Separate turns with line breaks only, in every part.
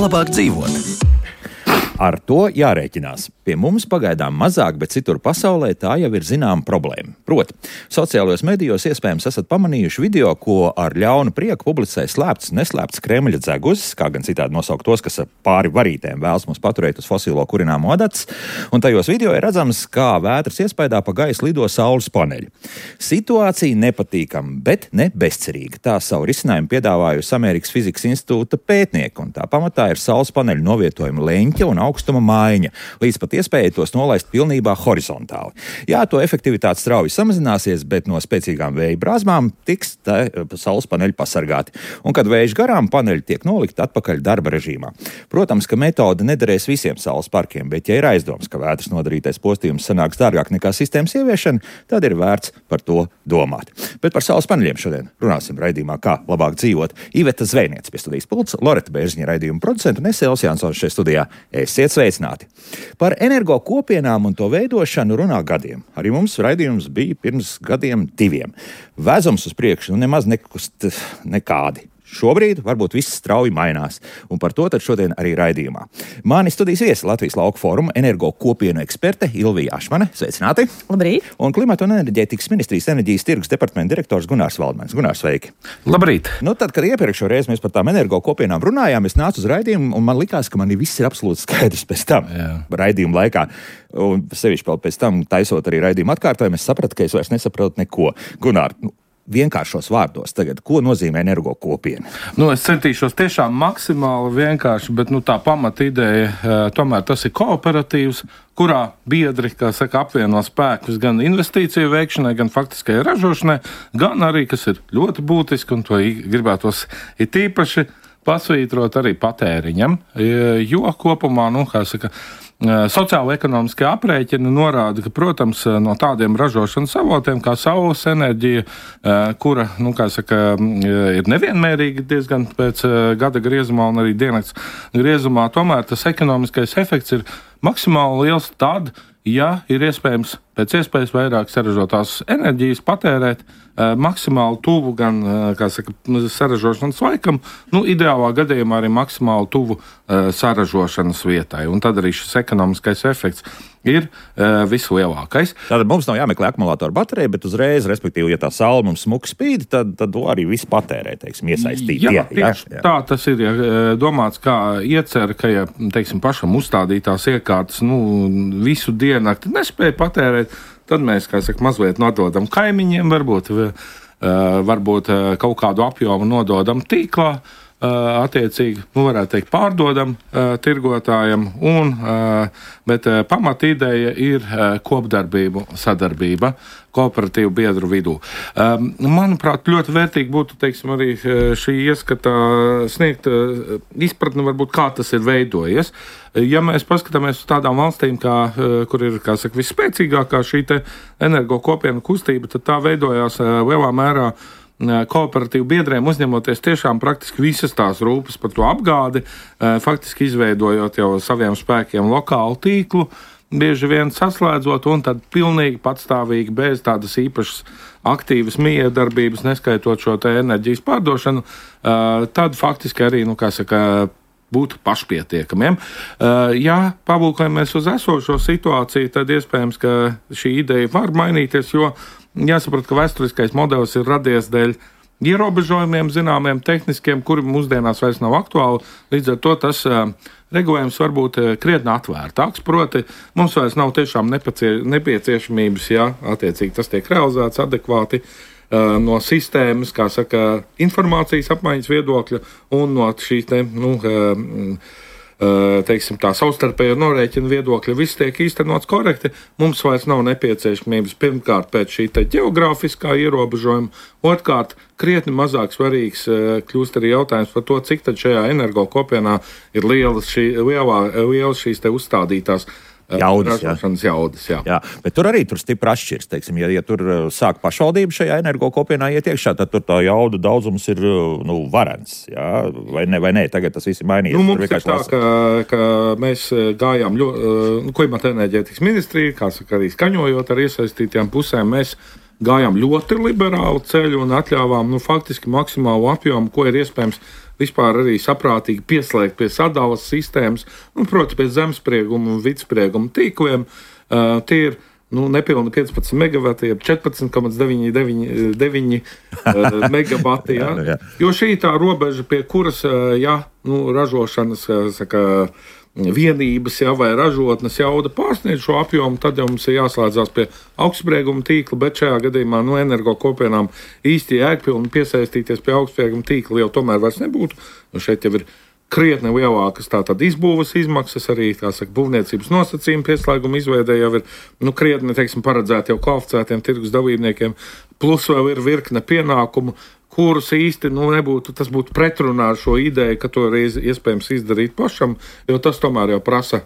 labāk dzīvot. Ar to jārēķinās. Pie mums pagaidām mazāk, bet citur pasaulē tā jau ir zināma problēma. Proti, sociālajos medijos iespējams esat pamanījuši video, ko ar ļaunu prieku publicē slēpts, neslēpts Kremļa dzeguzis, kā gan citādi nosaukt tos, kas pāri varītēm vēlas mums paturēt uz fosilo kurināmo adats, un tajos video ir redzams, kā vētras iespaidā pa gaisu lido saules paneļi. Situācija nepatīkama, bet ne bezcerīga. Tā savu risinājumu piedāvājusi Amerikas Fizikas institūta pētnieki, un tā pamatā ir saules paneļu novietojuma leņķa un augstuma maiņa, līdz pat iespēja tos nolaist pilnībā horizontāli. Jā, to efektivitāte strauji samazināsies, bet no spēcīgām vēja brāzmām tiks saules paneļi pasargāti. Un, kad vējš garām, paneļi tiek nolikti atpakaļ darba režīmā. Protams, ka metode nederēs visiem saules parkiem, bet ja ir aizdoms, ka vētras nodarītais postījums sanāks dārgāk nekā sistēmas ieviešana, tad ir vērts par to domāt. Bet par saules paneļiem šodien runāsim raidījumā Kā labāk dzīvot. Iveta Zvejniece pie studijas pults, Loreta Bērziņa raidījuma producenta un es Elvis Jansons šeit studijā. Esiet sveicināti! Par energo kopienām un to veidošanu runā gadiem. Arī mums raidījums bija pirms gadiem 2. Vēzums uz priekšu nemaz nekādi. Šobrīd varbūt viss strauji mainās, un par to tad šodien arī raidījumā. Mani studijas viesi Latvijas Lauku fóruma energo kopienu eksperte Ilvija Ašmane. Sveicināti!
Labrīt!
Un Klimata un enerģētikas ministrijas enerģijas tirgus departamenta direktors Gunārs Valdmanis. Gunārs, sveiki!
Labrīt!
Tad, kad iepriekšo reizi mēs par tām energo kopienām runājām, es nācu uz raidījumu, un man likās, ka man viss ir absolūti skaidrs pēc tam. Raidījuma laikā. Un sevišķi vēl pēc tam, taisot arī raidījumu atkārtojumu, es sapratu, ka es vairs nesaprotu neko. Gunār, vienkāršos vārdos tagad, ko nozīmē energo kopiena?
Es centīšos tiešām maksimāli vienkārši, bet tā pamata ideja, tomēr tas ir kooperatīvs, kurā biedri, kā saka, apvieno spēkus gan investīciju veikšanai, gan faktiskajai ražošanai, gan arī, kas ir ļoti būtiski, un to gribētos it īpaši pasvītrot arī patēriņam, jo kopumā, kā saka, sociālo-ekonomiskie aprēķini norāda, ka, protams, no tādiem ražošanas avotiem kā saules enerģija, kura, kā saka, ir nevienmērīga diezgan pēc gada griezumā un arī diennakts griezumā, tomēr tas ekonomiskais efekts ir maksimāli liels tad, ja ir iespējams pēc iespējas vairāk saražotās enerģijas patērēt maksimāli tuvu gan, kā saka, saražošanas laikam, ideālā gadījumā arī maksimāli tuvu saražošanas vietai. Un tad arī šis ekonomiskais efekts ir vislielākais.
Tātad mums nav jāmeklē akumulātoru baterija, bet uzreiz, respektīvi, ja tā saule mums smuki spīd, tad to arī viss patērē, teiksim, iesaistīt.
Jā. Tā tas ir, domāts kā iecer, ka, ja, teiksim, pašam uzstādītās iekārtas, visu diennakti nespēja patērēt, tad mēs, kā saka, mazliet nododam kaimiņiem, varbūt kaut kādu apjomu nododam tīklā, attiecīgi, varētu teikt, pārdodam tirgotājiem, bet pamata ideja ir kopdarbību, sadarbība kooperatīvu biedru vidū. Manuprāt, ļoti vērtīgi būtu, teiksim, arī šī ieskata sniegt izpratni, varbūt, kā tas ir veidojies. Ja mēs paskatāmies uz tādām valstīm, kur ir, kā saka, visspēcīgākā šī te energo kopienu kustība, tad tā veidojās lielā mērā kooperatīvu biedriem, uzņemoties tiešām praktiski visas tās rūpes par to apgādi, faktiski izveidojot jau saviem spēkiem lokālu tīklu, bieži vien saslēdzot un tad pilnīgi patstāvīgi bez tādas īpašas aktīvas miedarbības, neskaitot šo te enerģijas pārdošanu, tad faktiski arī, kā saka, būt pašpietiekamiem. Ja palūkojamies uz esošo situāciju, tad iespējams, ka šī ideja var mainīties, jo jāsaprot, ka vēsturiskais modelis ir radies dēļ ierobežojumiem, zināmiem tehniskiem, kuri mūsdienās vairs nav aktuāli. Līdz ar to tas regulējums var būt krietni atvērtāks. Proti, mums vairs nav tiešām nepieciešamības, ja attiecīgi tas tiek realizēts adekvāti no sistēmas, kā saka, informācijas apmaiņas viedokļa un no šīs te, teiksim, tā savstarpējo norēķinu viedokļa viss tiek īstenots korekti. Mums vairs nav nepieciešamības pirmkārt pēc šī te ģeogrāfiskā ierobežojuma, otrkārt krietni mazāk svarīgs kļūst arī jautājums par to, cik tad šajā energo kopienā ir lielas šīs te uzstādītās jaudas.
Jā, bet tur arī stipri atšķirs, teiksim, ja tur sāk pašvaldība šajā energo kopienā iet iekšā, tad tur tā jaudu daudzums ir, varens, jā, vai ne, tagad tas viss ir mainījies.
Mums ir tā, ka mēs gājām Klimata enerģētikas ministrija, kā saka, arī skaņojot ar iesaistītiem pusēm, mēs gājām ļoti liberālu ceļu un atļāvām faktiski maksimālu apjomu, ko ir iespējams vispār arī saprātīgi pieslēgt pie sadalas sistēmas, proti pie zemsprieguma un vidsprieguma tīkliem. Tie ir nepilni 15 megavati, 14,99 megavati. Ja? Jo šī tā robeža, pie kuras, ražošanas, vienības vai ražotnes jauda pārsniedz šo apjomu, tad jau mums ir jāslēdzās pie augstsprieguma tīkla, bet šajā gadījumā energo kopienām īsti jēgpilni piesaistīties pie augstsprieguma tīkla jau tomēr vairs nebūtu. Šeit jau ir krietni lielākas tātad izbūves izmaksas, arī būvniecības nosacījumi pieslēguma izveidē jau ir krietni, paredzēti jau kvalificētiem tirgus dalībniekiem, plus vēl ir virkne pienākumu, kurus īsti nebūtu, tas būtu pretrunā ar šo ideju, ka to ir iespējams izdarīt pašam, jo tas tomēr jau prasa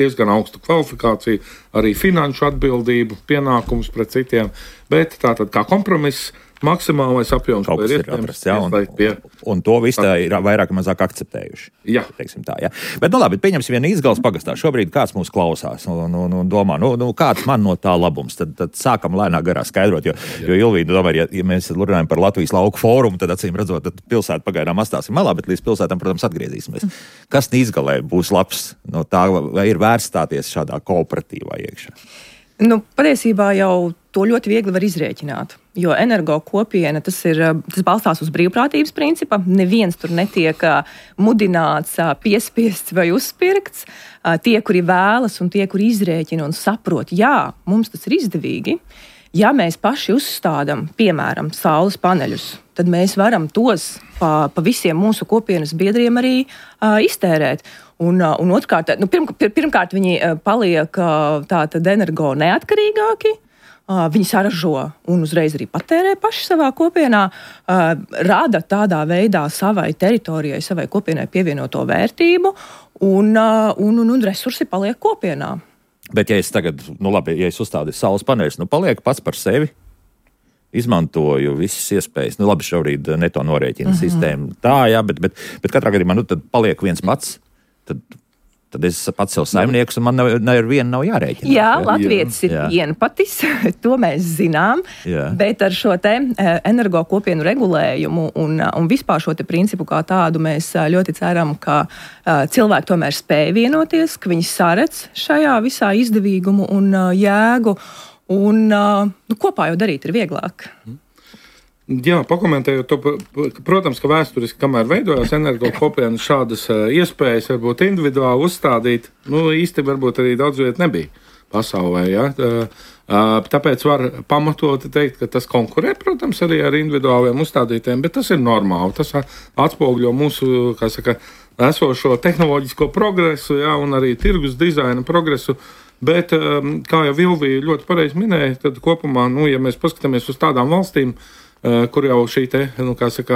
diezgan augstu kvalifikāciju, arī finanšu atbildību, pienākumus pret citiem, bet tātad kā kompromiss, maksimālais apjoms, ko ir iespējams pie.
Un to visu ir vairāk vai mazāk akceptējuši.
Jā.
Tā, ja. Bet, labi, pieņemsim vienu Izgales pagastā. Šobrīd kāds mūs klausās un domā, kāds man no tā labums. Tad sākam lēnā garā skaidrot, jo Ilvīna, domāju, ja mēs runājam par Latvijas lauku fórumu, tad acīm redzot, tad pilsēta pagaidām atstāsim malā, bet līdz pilsētām, protams, atgriezīsimies. Kas Izgalē būs labs no tā, vai ir vērts stāties šādā kooperatīvā iekšā?
Patiesībā jau to ļoti viegli var izrēķināt, jo energo kopiena tas balstās uz brīvprātības principa. Neviens tur netiek mudināts, piespiests vai uzspirkts. Tie, kuri vēlas un tie, kuri izrēķina un saprot, jā, mums tas ir izdevīgi. Ja mēs paši uzstādām, piemēram, saules paneļus, tad mēs varam tos pa visiem mūsu kopienas biedriem arī iztērēt. Un otrkārt, pirmkārt, viņi paliek tātad energo neatkarīgāki, viņi saražo un uzreiz arī patērē paši savā kopienā, rada tādā veidā savai teritorijai, savai kopienai pievienoto vērtību, un resursi paliek kopienā.
Bet ja es tagad, ja es uzstādīju saules paneļus, paliek pats par sevi, izmantoju visas iespējas, šobrīd neto norēķina sistēma. Tā, jā, bet katrā gadījumā, tad paliek viens pats, tad es pats sev saimnieks, un man neviena nav jārēķina.
Jā, latvietis ir vienpatis, to mēs zinām, bet ar šo te energo kopienu regulējumu un vispār šo te principu kā tādu mēs ļoti ceram, ka cilvēki tomēr spēj vienoties, ka viņi saredz šajā visā izdevīgumu un jēgu, un kopā jau darīt ir vieglāk.
Jā, pakomentējot to, protams, ka vēsturiski, kamēr veidojās energo kopienas, šādas iespējas varbūt individuāli uzstādīt, īsti varbūt arī daudz viet nebija pasaulē, ja? Tāpēc var pamatoti teikt, ka tas konkurē, protams, arī ar individuāliem uzstādītiem, bet tas ir normāli, tas atspoguļo mūsu, esošo tehnoloģisko progresu, ja? Un arī tirgus dizaina progresu. Bet, kā jau Vilvija ļoti pareizi minēja, tad kopumā, ja mēs paskatāmies uz tādām valstīm, kur jau šī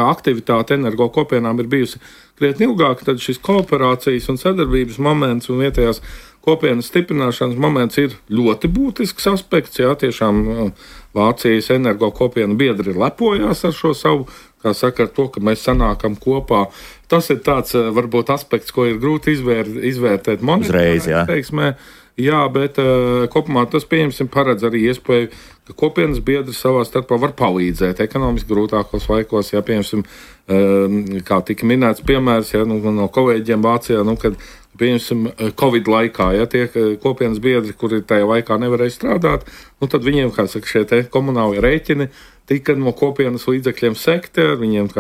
aktivitāte energo kopienām ir bijusi krietni ilgāk, tad šis kooperācijas un sadarbības moments un vietējās kopienas stiprināšanas moments ir ļoti būtisks aspekts. Jā, tiešām Vācijas energo kopienu biedri lepojas ar šo savu, ar to, ka mēs sanākam kopā. Tas ir tāds, varbūt, aspekts, ko ir grūti izvērtēt monetārā teiksmē. Jā, bet kopumā tas, pieņemsim, paredz arī iespēju, ka kopienas biedri savā starpā var palīdzēt ekonomiski grūtākos laikos. Jā, pieņemsim, kā tika minēts piemērs, no kolēģiem Vācijā, kad, pieņemsim, Covid laikā, tie kopienas biedri, kuri tajā laikā nevarēja strādāt, tad viņiem, šie te komunāli rēķini tika no kopienas līdzekļiem sekti, ar viņiem,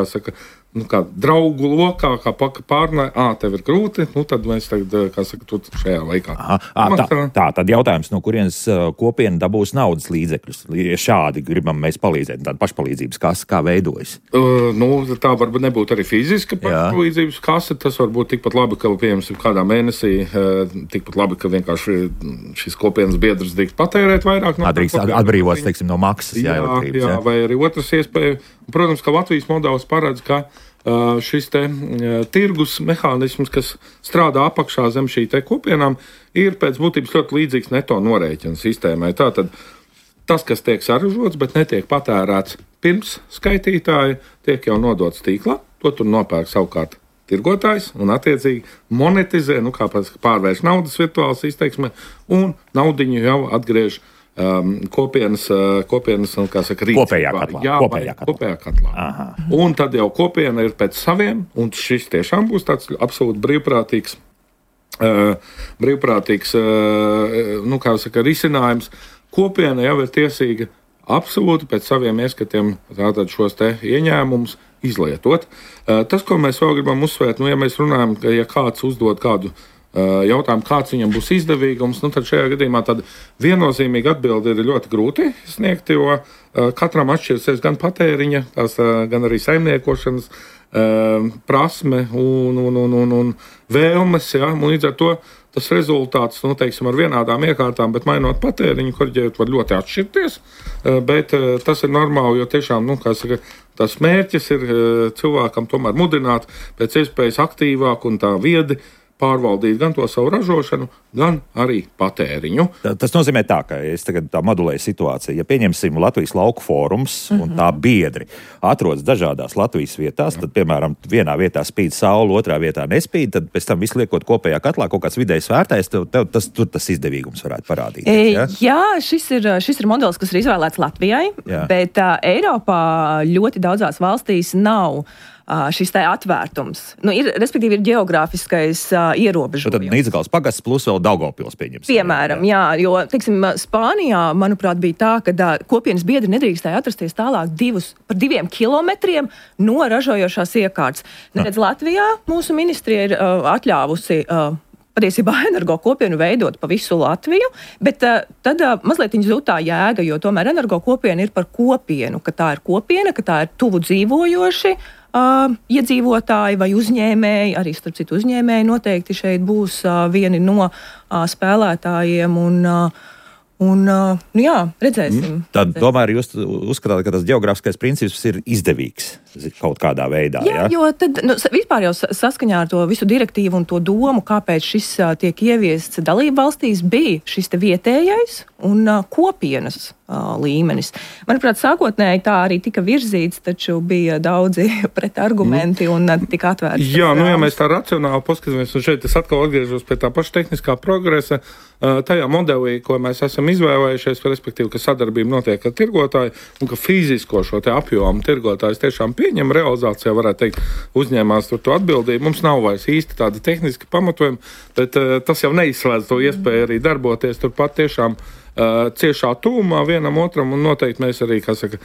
kā draugu lokā, kā pārnāja, tev ir grūti, tad mēs tagad, tu šajā laikā.
Tad jautājums, no kurienes kopiena dabūs naudas līdzekļus? Ja šādi gribam mēs palīdzēt, tāda pašpalīdzības kasa, kā veidojas?
Tā varbūt nebūtu arī fiziska pašpalīdzības kasa, tas varbūt tikpat labi, ka, piemēram, kādā mēnesī, tikpat labi, ka vienkārši šis kopienas biedrs drīkst patērēt vairāk.
Atbrīvots, teiksim, no maksas, elektrības.
Jā, vai arī otrs iespēja. Protams, ka Latvijas modelis paredz, ka šis te tirgus mehānisms, kas strādā apakšā zem šī te kopienām, ir pēc būtības ļoti līdzīgs neto norēķina sistēmai. Tātad tas, kas tiek saražots, bet netiek patērēts pirms skaitītāja, tiek jau nodots tīklā, to tur nopērk savukārt tirgotājs un attiecīgi monetizē, kā pārvērš naudas virtuālas izteiksmē, un naudiņu jau atgriež kopienas kā saka, rīcībā.
Kopējā katlā. Aha.
Un tad jau kopiena ir pēc saviem, un šis tiešām būs tāds absolūti brīvprātīgs kā saka, risinājums. Kopiena jau ir tiesīga absolūti pēc saviem ieskatiem tātad šos te ieņēmumus izlietot. Tas, ko mēs vēl gribam uzsvērt, ja mēs runājam, ka ja kāds uzdod kādu jautājumu, kāds viņam būs izdevīgums, tad šajā gadījumā tāda viennozīmīga atbilde ir ļoti grūti sniegt, jo katram atšķirsies gan patēriņa, gan arī saimniekošanas prasme un vēlmes, ja, un līdz ar to tas rezultāts, teiksim, ar vienādām iekārtām, bet mainot patēriņu, korģējot, var ļoti atšķirties, bet tas ir normāli, jo tiešām, kā saka, tas mērķis ir cilvēkam tomēr mudināt pēc iespējas aktīvāk un tā viedi pārvaldīt gan to savu ražošanu, gan arī patēriņu.
Tas nozīmē tā, ka es tagad tā modulēju situāciju. Ja pieņemsim Latvijas lauku fórums un tā biedri atrodas dažādās Latvijas vietās, tad, piemēram, vienā vietā spīd saule, otrā vietā nespīd, tad pēc tam visu liekot kopējā katlā kaut kāds vidējs vērtējs, tur tas izdevīgums varētu parādīties. Ja?
Jā, šis ir modelis, kas ir izvēlēts Latvijai, bet Eiropā ļoti daudzās valstīs nav šis tā atvērtums. Respektīvi ir geogrāfiskais ierobežojums.
Tad Nīdzegals pagasts plus vēl Daugavpils pieņems.
Piemēram, jā, jo, teiksim, Spānijā, manuprāt, bija tā, ka kopienas biedri nedrīkstēja atrasties tālāk par 2 kilometriem no ražojošās iekārtas. Neredz Latvijā mūsu ministrija ir atļāvusi patiesībā energo kopienu veidot pa visu Latviju, bet tad mazliet viņa zūd tā jēga, jo tomēr energo kopiena ir par kopienu, ka tā ir kopiena, ka tā ir tuvu dzīvojoši iedzīvotāji vai uzņēmēji, arī starp citu uzņēmēji noteikti šeit būs vieni no spēlētājiem un jā, redzēsim.
Tad tomēr jūs uzskatāt, ka tas geogrāfiskais princips ir izdevīgs kaut kādā veidā,
jā? Jo tad vispār jau saskaņā ar to visu direktīvu un to domu, kāpēc šis tiek ieviests dalību valstīs, bija šis te vietējais un kopienas līmenis. Manuprāt, sākotnēji tā arī tika virzīts, taču bija daudzi pretargumenti un tika atvērts.
Jā, ja mēs tā racionāli paskatāmies, un šeit es atkal atgriežos pie tā paša tehniskā progresa, tajā modelī, ko mēs esam izvēlējušies, respektīvi, ka sadarbība notiek ar tirgotāju un ka fizisko šo te apjomu tirgotājs tiešām pieņem realizācijā, varētu teikt, uzņēmās tur to atbildību. Mums nav vairs īsti tādi tehniski pamatojumi, bet tas jau neizslēdz to iespēju arī darboties turpat tiešām ciešā tūmā vienam otram, un noteikti mēs arī, kā saka,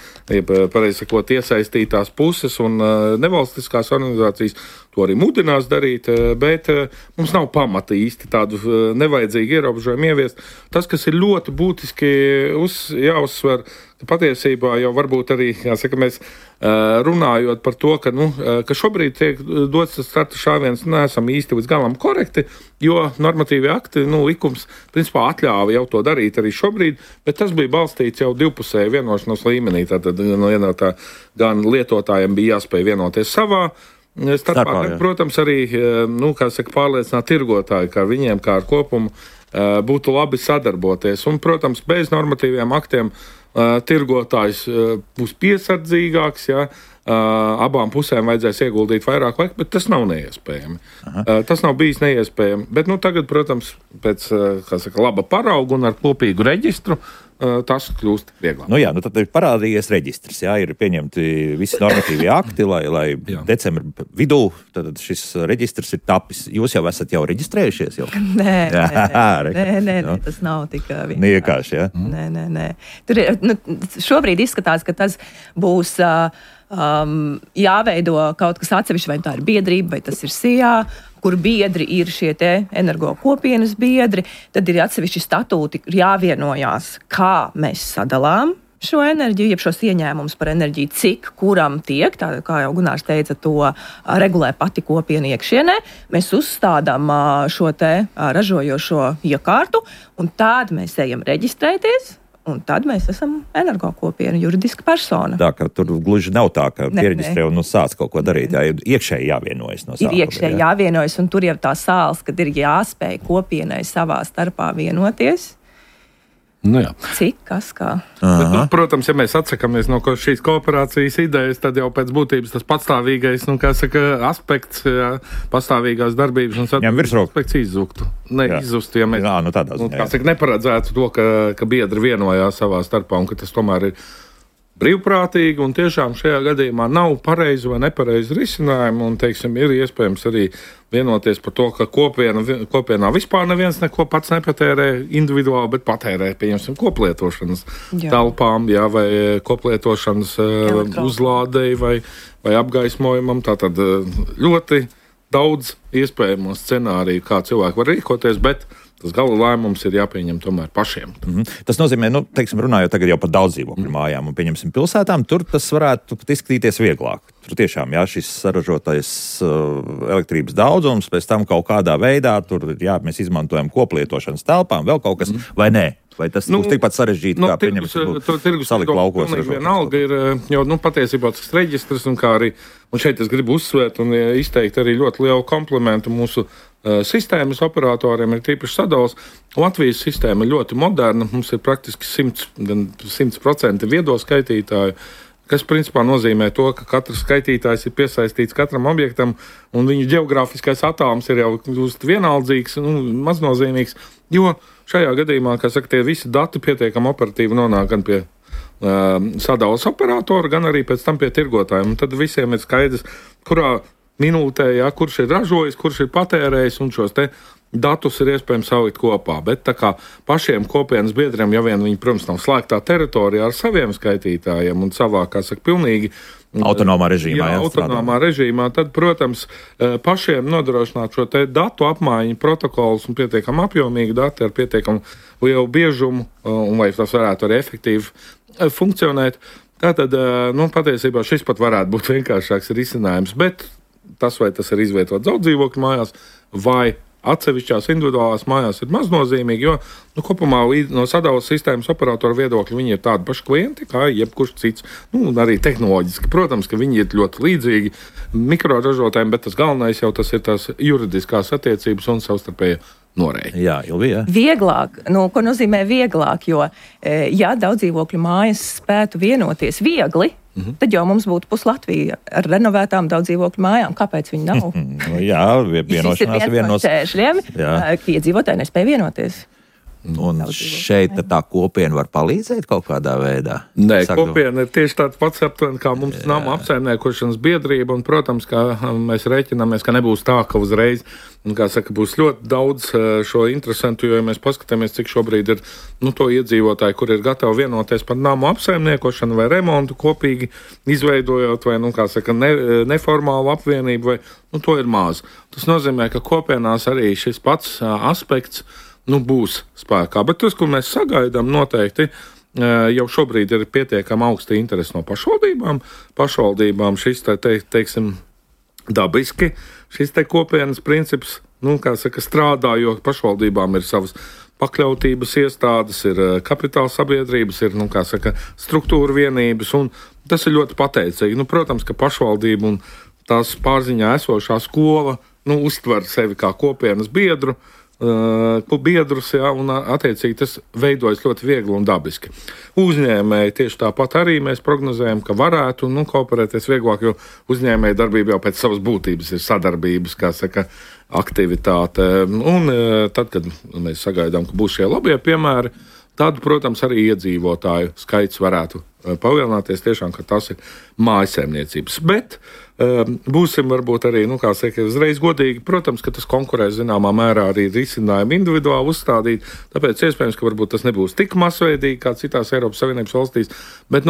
pareizi sakot, iesaistītās puses un nevalstiskās organizācijas to arī mudinās darīt, bet mums nav pamata īsti tādu nevajadzīgu ierobežojumu ieviest. Tas, kas ir ļoti būtiski jāuzsver, ka patiesībā jau varbūt arī, jāsaka, mēs runājot par to, ka šobrīd tiek dots tas starta šāviens, neesam īsti līdz galam korekti, jo normatīvi akti, likums, principā atļāva jau to darīt arī šobrīd, bet tas bija balstīts jau divpusēju vienošanos līmenī, tātad gan lietotājiem bija jāspēj vienoties savā starpā, protams, arī, kā saka, pārliecināt tirgotāju, ka viņiem kā ar kopumu būtu labi sadarboties. Un, protams, bez normatīviem aktiem tirgotājs būs piesardzīgāks, ja, abām pusēm vajadzēs ieguldīt vairāk laika, bet tas nav neiespējami. Tas nav bijis neiespējami. Bet tagad, protams, pēc laba parauga un ar kopīgu reģistru tas kļūst vieglāk.
Tad ir parādījies reģistrs, ir pieņemti visi normatīvie akti, lai decembra vidū tad šis reģistrs ir tapis. Jūs jau esat reģistrējušies?
Nē, tas nav tik
vienkārši. Ja?
Nē. Tur ir, šobrīd izskatās, ka tas būs jāveido kaut kas atsevišķi, vai tā ir biedrība, vai tas ir SIA, kur biedri ir šie te energo kopienas biedri, tad ir atsevišķi statūti, jāvienojās, kā mēs sadalām šo enerģiju, jeb šos ieņēmumus par enerģiju, cik kuram tiek, tā kā jau Gunārs teica, to regulē pati kopiena iekšienē. Mēs uzstādām šo te ražojošo iekārtu, un tad mēs ejam reģistrēties, un tad mēs esam energokopiena, juridiska persona.
Tā, ka tur gluži nav tā, ka piereģistrē un sāc kaut ko darīt. Ir iekšēji jāvienojas no sākuma.
Ir iekšēji jāvienojas, un tur jau tā sāls, kad ir jāspēj kopienai savā starpā vienoties.
Nu, jā.
Cik, kas, kā?
Bet, nu, protams, ja mēs atsakāmies no šīs kooperācijas idejas, tad jau pēc būtības tas pastāvīgais, aspekts, jā, pastāvīgās darbības un sadarbības aspekts izzuktu. Izzustu, ja mēs neparedzētu to, ka biedri vienojās savā starpā un ka tas tomēr ir brīvprātīgi, un tiešām šajā gadījumā nav pareizi vai nepareizi risinājumi, un, teiksim, ir iespējams arī vienoties par to, ka kopienā vispār neviens neko pats nepatērē individuāli, bet patērē, pieņemsim, koplietošanas telpām, jā, vai koplietošanas uzlādei vai apgaismojumam. Tātad ļoti daudz iespējamo scenāriju, kā cilvēki var rīkoties, bet tas gala lēmums ir jāpieņem tomēr pašiem.
Tas nozīmē, runājot tagad jau par daudzdzīvokļu mājām un, pieņemsim, pilsētām, tur tas varētu pat izskatīties vieglāk. Tur tiešām, jā, šis saražotais elektrības daudzums, pēc tam kaut kādā veidā, tur, jā, mēs izmantojam koplietošanas telpām, vēl kaut kas, vai nē? Vai tas būs tikpat sarežģīti, kā pieņemt salikt laukos?
Vienalga ir jau patiesībā tas reģistrs, un kā arī, un šeit es gribu uzsvērt un izteikt arī ļoti lielu komplimentu mūsu sistēmas operatoriem, ir tīpaši Sadalas. Latvijas sistēma ir ļoti moderna, mums ir praktiski 100% viedo skaitītāju, kas principā nozīmē to, ka katrs skaitītājs ir piesaistīts katram objektam, un viņu ģeogrāfiskais attālums ir jau vienaldzīgs, maznozīmīgs, jo šajā gadījumā, kā saka, tie visi dati pietiekami operatīvi nonāk gan pie Sadalas operatora, gan arī pēc tam pie tirgotājiem. Un tad visiem ir skaidrs, kurā minūtē, jā, kurš ir ražojis, kurš ir patērējis, un šos te datus ir iespējams salikt kopā. Bet tā kā pašiem kopienas biedriem, ja vien viņi, protams, nav slēgtā teritorijā ar saviem skaitītājiem un savā, kā saka, pilnīgi
autonomā režīmā.
Jā, autonomā režīmā, tad, protams, pašiem nodrošināt šo te datu apmaiņu protokolus un pietiekam apjomīgi dati ar pietiekam lielu biežumu, un vai tas varētu arī efektīvi funkcionēt. Tātad, patiesībā šis pat varētu būt vienkāršāks risinājums, bet tas, vai tas ir izvietots daudzdzīvokļu mājās vai atsevišķās individuālās mājās, ir maznozīmīgi, jo kopumā no Sadalas sistēmas operatora viedokļa viņi ir tādi paši klienti, kā jebkurš cits. Arī tehnoloģiski, protams, ka viņi ir ļoti līdzīgi mikroražotājiem, bet tas galvenais jau tas ir tās juridiskās attiecības un savstarpēja norēķi.
Jā, Ilvija.
Vieglāk, ko nozīmē vieglāk, jo ja daudzdzīvokļu mājas spētu vienoties viegli, tad jau mums būtu Latvija ar renovētām daudzdzīvokļu mājām. Kāpēc viņi nav?
Jā, vienošanās ir viens no
šķēršļiem, ka iedzīvotāji nespēja vienoties.
Un šeit tā kopiena var palīdzēt kaut kādā veidā?
Nē, kopiena ir tieši tāds pats aptuveni, kā mums nama apsaimniekošanas biedrība, un, protams, kā mēs rēķināmies, ka nebūs tā, ka uzreiz, kā saka, būs ļoti daudz šo interesantu, jo, ja mēs paskatāmies, cik šobrīd ir, to iedzīvotāji, kur ir gatavi vienoties par namu apsaimniekošanu vai remontu kopīgi izveidojot, vai, kā saka, neformālu apvienību, vai, to ir maz. Tas nozīmē, ka kopienās arī šis pats aspekts būs spēkā. Bet tas, ko mēs sagaidām, noteikti jau šobrīd ir pietiekami augsta interese no pašvaldībām. Pašvaldībām šis, teiksim, dabiski šis te kopienas princips, kā saka, strādā, jo pašvaldībām ir savas pakļautības iestādes, ir kapitāla sabiedrības, ir, kā saka, struktūra vienības, un tas ir ļoti pateicīgi. Protams, ka pašvaldība un tās pārziņā esošā skola, uztver sevi kā kopienas biedrus, jā, un attiecīgi tas veidojas ļoti viegli un dabiski. Uzņēmēji tieši tāpat arī mēs prognozējam, ka varētu kooperēties vieglāk, jo uzņēmēja darbība jau pēc savas būtības ir sadarbības, kā saka, aktivitāte. Un tad, kad mēs sagaidām, ka būs šie labie piemēri, tad, protams, arī iedzīvotāju skaits varētu palielināties tiešām, ka tas ir mājasēmniecības. Bet būsim varbūt arī, kā saka, uzreiz godīgi, protams, ka tas konkurēs zināmā mērā arī risinājumu individuāli uzstādīt, tāpēc iespējams, ka varbūt tas nebūs tik masveidīgi kā citās Eiropas Savienības valstīs, bet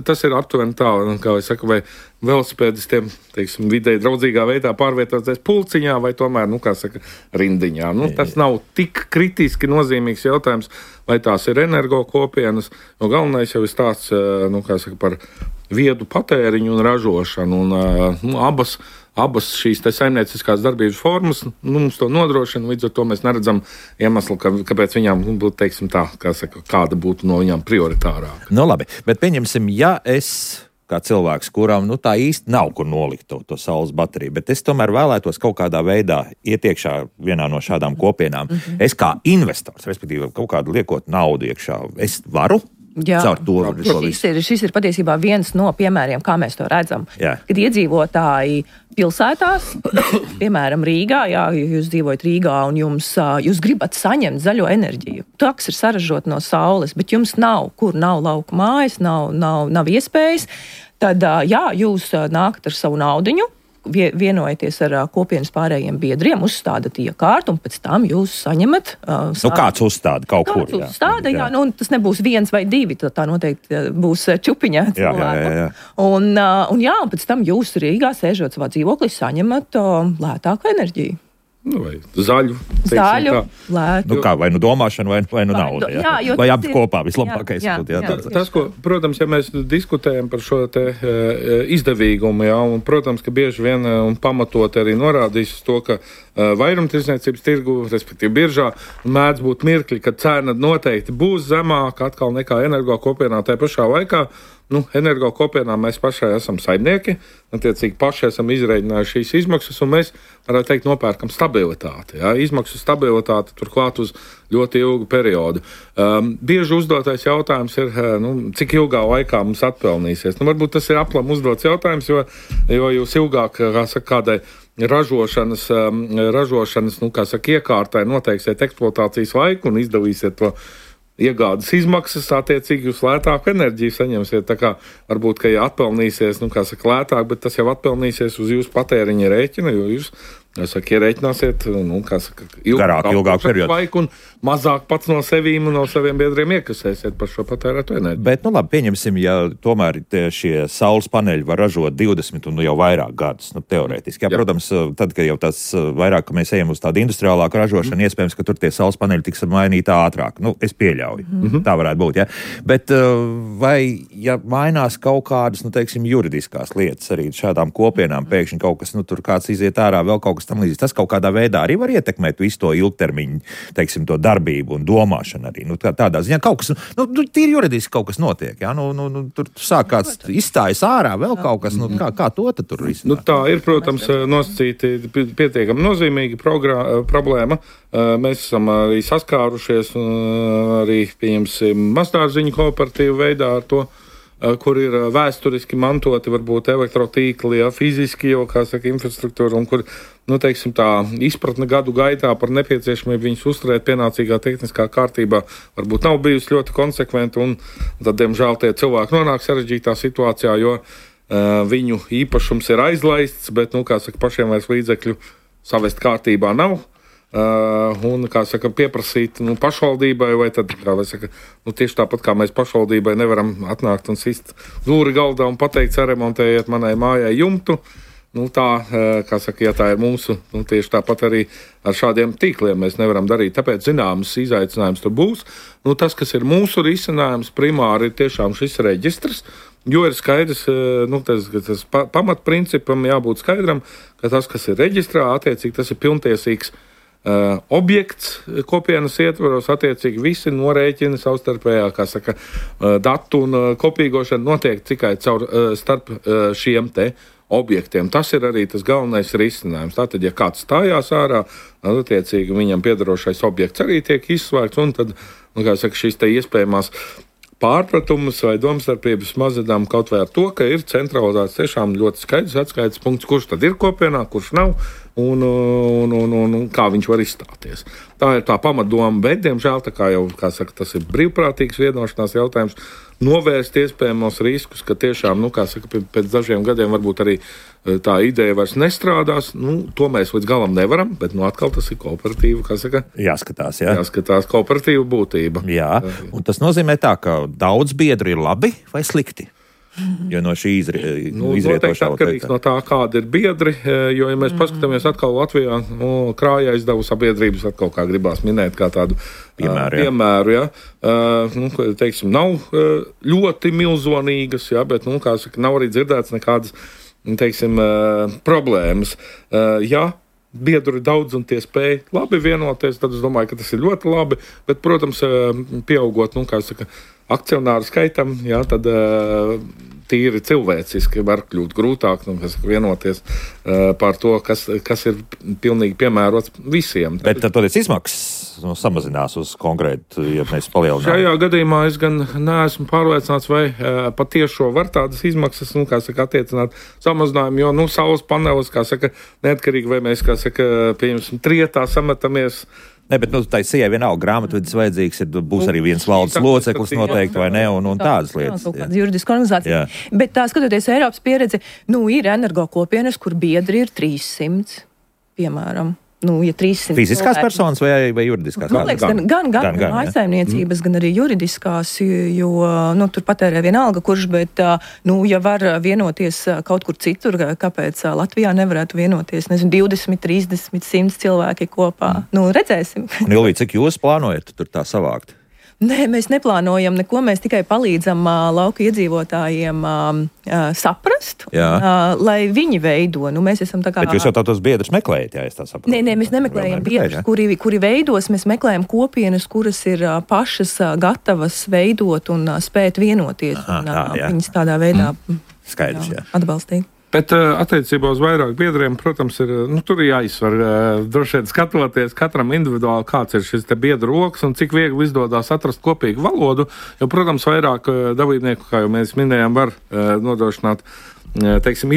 tas ir aptuveni tā, kā es saku, vai velosipēdistiem, teiksim, vidēji draudzīgā veidā pārvietoties pulciņā vai tomēr, kā saka, rindiņā. Tas nav tik kritiski nozīmīgs jautājums, vai tās ir energo kopienas, jo galvenais jau ir stāsts, kā saka, par viedu patēriņu un ražošanu, un abas šīs te saimnieciskās darbības formas mums to nodrošina, līdz ar to mēs neredzam iemeslu, kāpēc viņām būtu, teiksim tā, kā saka, kāda būtu no viņām prioritārāka.
Labi, bet pieņemsim, ja es kā cilvēks, kuram tā īsti nav kur nolikt to saules bateriju, bet es tomēr vēlētos kaut kādā veidā iet iekšā vienā no šādām kopienām. Es kā investors, respektīvi kaut kādu liekot naudu iekšā, es varu? Caur to
šis ir patiesībā viens no piemēriem, kā mēs to redzam.
Jā.
Kad iedzīvotāji pilsētās, piemēram, Rīgā, jūs dzīvojat Rīgā un jūs gribat saņemt zaļo enerģiju. Taks ir saražot no saules, bet jums nav lauku mājas, nav iespējas. Tad, jūs nākat ar savu naudiņu, vienojaties ar kopienas pārējiem biedriem, uzstādat iekārtu, un pēc tam jūs saņemat...
kāds uzstāda kaut kur.
Kāds uzstāda, jā. Tas nebūs 1 vai 2, tā noteikti būs čupiņā cilvēku.
Jā.
Un pēc tam jūs Rīgā sēžot savā dzīvoklī saņemat lētāku enerģiju.
Vai zaļu,
lētu.
Vai domāšana, vai nauda. Vai abi kopā vislabākais.
Tas, ko, protams, ja mēs diskutējam par šo te izdevīgumu, un, protams, ka bieži vien un pamatot arī norādīs to, ka vairumtirdzniecības tirgu, respektīvi biržā, mēdz būt mirkļi, kad cena noteikti būs zemāka atkal nekā energo kopienā. Tā pašā laikā energo kopienā mēs pašai esam saimnieki, attiecīgi paši esam izreikinājuši šīs izmaksas, un mēs, varētu teikt, nopērkam stabilitāti. Izmaksu stabilitāti turklāt uz ļoti ilgu periodu. Bieži uzdotais jautājums ir, cik ilgā laikā mums atpelnīsies. Varbūt tas ir aplam uzdots jautājums, jo jūs ilgāk, kādai ražošanas, iekārtai noteiksiet eksploatācijas laiku un izdalīsiet to iegādes izmaksas, attiecīgi jūs lētāku enerģiju saņemsiet. Tā kā varbūt, ka atpelnīsies, lētāk, bet tas jau atpelnīsies uz jūsu patēriņa rēķina, jo jūs, ierēķināsiet, ilgāk periodu un mazāk pats no sevīm un no saviem biedriem iekasēsiet par šo patērētu enerģiju.
Bet, labi, pieņemsim, ja tomēr šie saules paneļi var ražot 20 un jau vairāk gadus, teorētiski. Protams, tad, kad jau tas vairāk, ka mēs ejam uz tādu industriālāku ražošanu, iespējams, ka tur tie saules paneļi tiks mainīti ātrāk. Es pieļauju. Tā varētu būt, Bet vai, ja mainās kaut kādas, juridiskās lietas arī šādām kopienām, pēkšņi kaut kas, tur kāds iziet ārā, vēl kaut kas tam līdzīgs, tas kaut kādā veidā arī var ietekmēt visu to ilgtermiņu, to darbību un domāšanu arī. Tādā ziņā kaut kas, tīri juridiski kaut kas notiek, tur sāk kāds izstājas ārā, vēl kaut kas, kā to tad tur risināt?
Tā ir, protams, nosacīti pietiekami nozīmīga problēma. Mēs esam arī saskārušies arī, pieņemsim, mazdārziņu kooperatīvu veidā ar to, kur ir vēsturiski mantoti varbūt elektrotīkli, fiziski jau, infrastruktūra, un kur, tā izpratne gadu gaitā par nepieciešamību viņus uzturēt pienācīgā tehniskā kārtībā varbūt nav bijusi ļoti konsekventa, un tad, diemžēl, tie cilvēki nonāk sarežģītā situācijā, jo viņu īpašums ir aizlaists, bet, pašiem vairs līdzekļu savest kārtībā nav. Un, pieprasīt pašvaldībai, vai tad, tieši tāpat kā mēs pašvaldībai nevaram atnākt un sist dūri galdā un pateikt, saremontējiet manai mājai jumtu. Ja tā ir mūsu, tieši tāpat arī ar šādiem tīkliem mēs nevaram darīt. Tāpēc zināms izaicinājums tur būs. Tas, kas ir mūsu risinājums, primāri ir tiešām šis reģistrs, jo ir skaidrs, tas pamatprincipam jābūt skaidram, ka tas, kas ir reģistrā, attiecīgi tas ir pilntiesīgs objekts kopienas ietvaros, attiecīgi visi norēķini savstarpējā, datu un kopīgošana notiek tikai starp šiem te objektiem. Tas ir arī tas galvenais risinājums. Tātad, ja kāds stājās ārā, attiecīgi viņam piederošais objekts arī tiek izslēgts, un tad, šīs te iespējamās pārpratumus vai domstarpības mazadām kaut vai ar to, ka ir centralizēts tiešām ļoti skaidrs atskaites punkts, kurš tad ir kopienā, kurš nav, un kā viņš var izstāties. Tā ir tā pamatdoma, bet, diemžēl, tā kā jau, tas ir brīvprātīgs vienošanās jautājums, novērst iespējamos riskus, ka tiešām, pēc dažiem gadiem varbūt arī tā ideja vairs nestrādās. To mēs līdz galam nevaram, bet, atkal tas ir kooperatīva,
jāskatās,
jāskatās kooperatīva būtība.
Jā, un tas nozīmē tā, ka daudz biedru ir labi vai slikti? Jo no šī izrietošā
atkarīgs no tā, kāda ir biedri, jo, ja mēs paskatāmies atkal Latvijā, krājā izdevu sabiedrības atkal, kā gribās minēt, kā tādu piemēru, nav ļoti milzonīgas, bet, nav arī dzirdēts nekādas, problēmas. Biedru ir daudz un tie spēj labi vienoties, tad es domāju, ka tas ir ļoti labi, bet, protams, pieaugot, akcionāru skaitam, jā, tad tīri cilvēciski var kļūt grūtāk vienoties par to, kas ir pilnīgi piemērots visiem.
Bet tad izmaksas samazinās uz konkrētu, ja mēs palielinām.
Šajā gadījumā es gan neesmu pārliecināts, vai patiešo var tādas izmaksas, attiecināt samazinājumu, jo, saules panelis, neatkarīgi, vai mēs, pieņemsim, trietā sametamies.
Ne, bet tai sievai vienalga grāmatvedis vajadzīgs, būs arī viens valdes loceklis noteikti, vai ne, un tādas lietas.
Kaut kāda juridiska organizācija. Jā. Bet skatoties Eiropas pieredzi, ir energokopienas, kur biedri ir 300, piemēram. Ja 300
fiziskās personas vai juridiskās?
Man liekas, gan mājsaimniecības, gan arī juridiskās, jo tur patērē vienalga, kurš, bet ja var vienoties kaut kur citur, kāpēc Latvijā nevarētu vienoties, 20, 30, 100 cilvēki kopā. Redzēsim.
Un Ilvī, cik jūs plānojat tur tā savākt?
Nē, mēs neplānojam neko, mēs tikai palīdzam lauka iedzīvotājiem saprast, lai viņi veido. Mēs esam tā kā...
Bet jūs jau tos biedrus meklējat, ja es tā saprotu?
Nē, mēs nemeklējam biedrus, kuri veidos, mēs meklējam kopienas, kuras ir pašas gatavas veidot un spēt vienoties. Viņas tādā veidā
Skaidrs,
atbalstīt.
Bet attiecībā uz vairāk biedriem, protams, tur ir jāizsver, droši vien skatoties katram individuāli, kāds ir šis te biedru rokas un cik viegli izdodas atrast kopīgu valodu, jo, protams, vairāk dalībnieku, kā jau mēs minējām, var nodrošināt,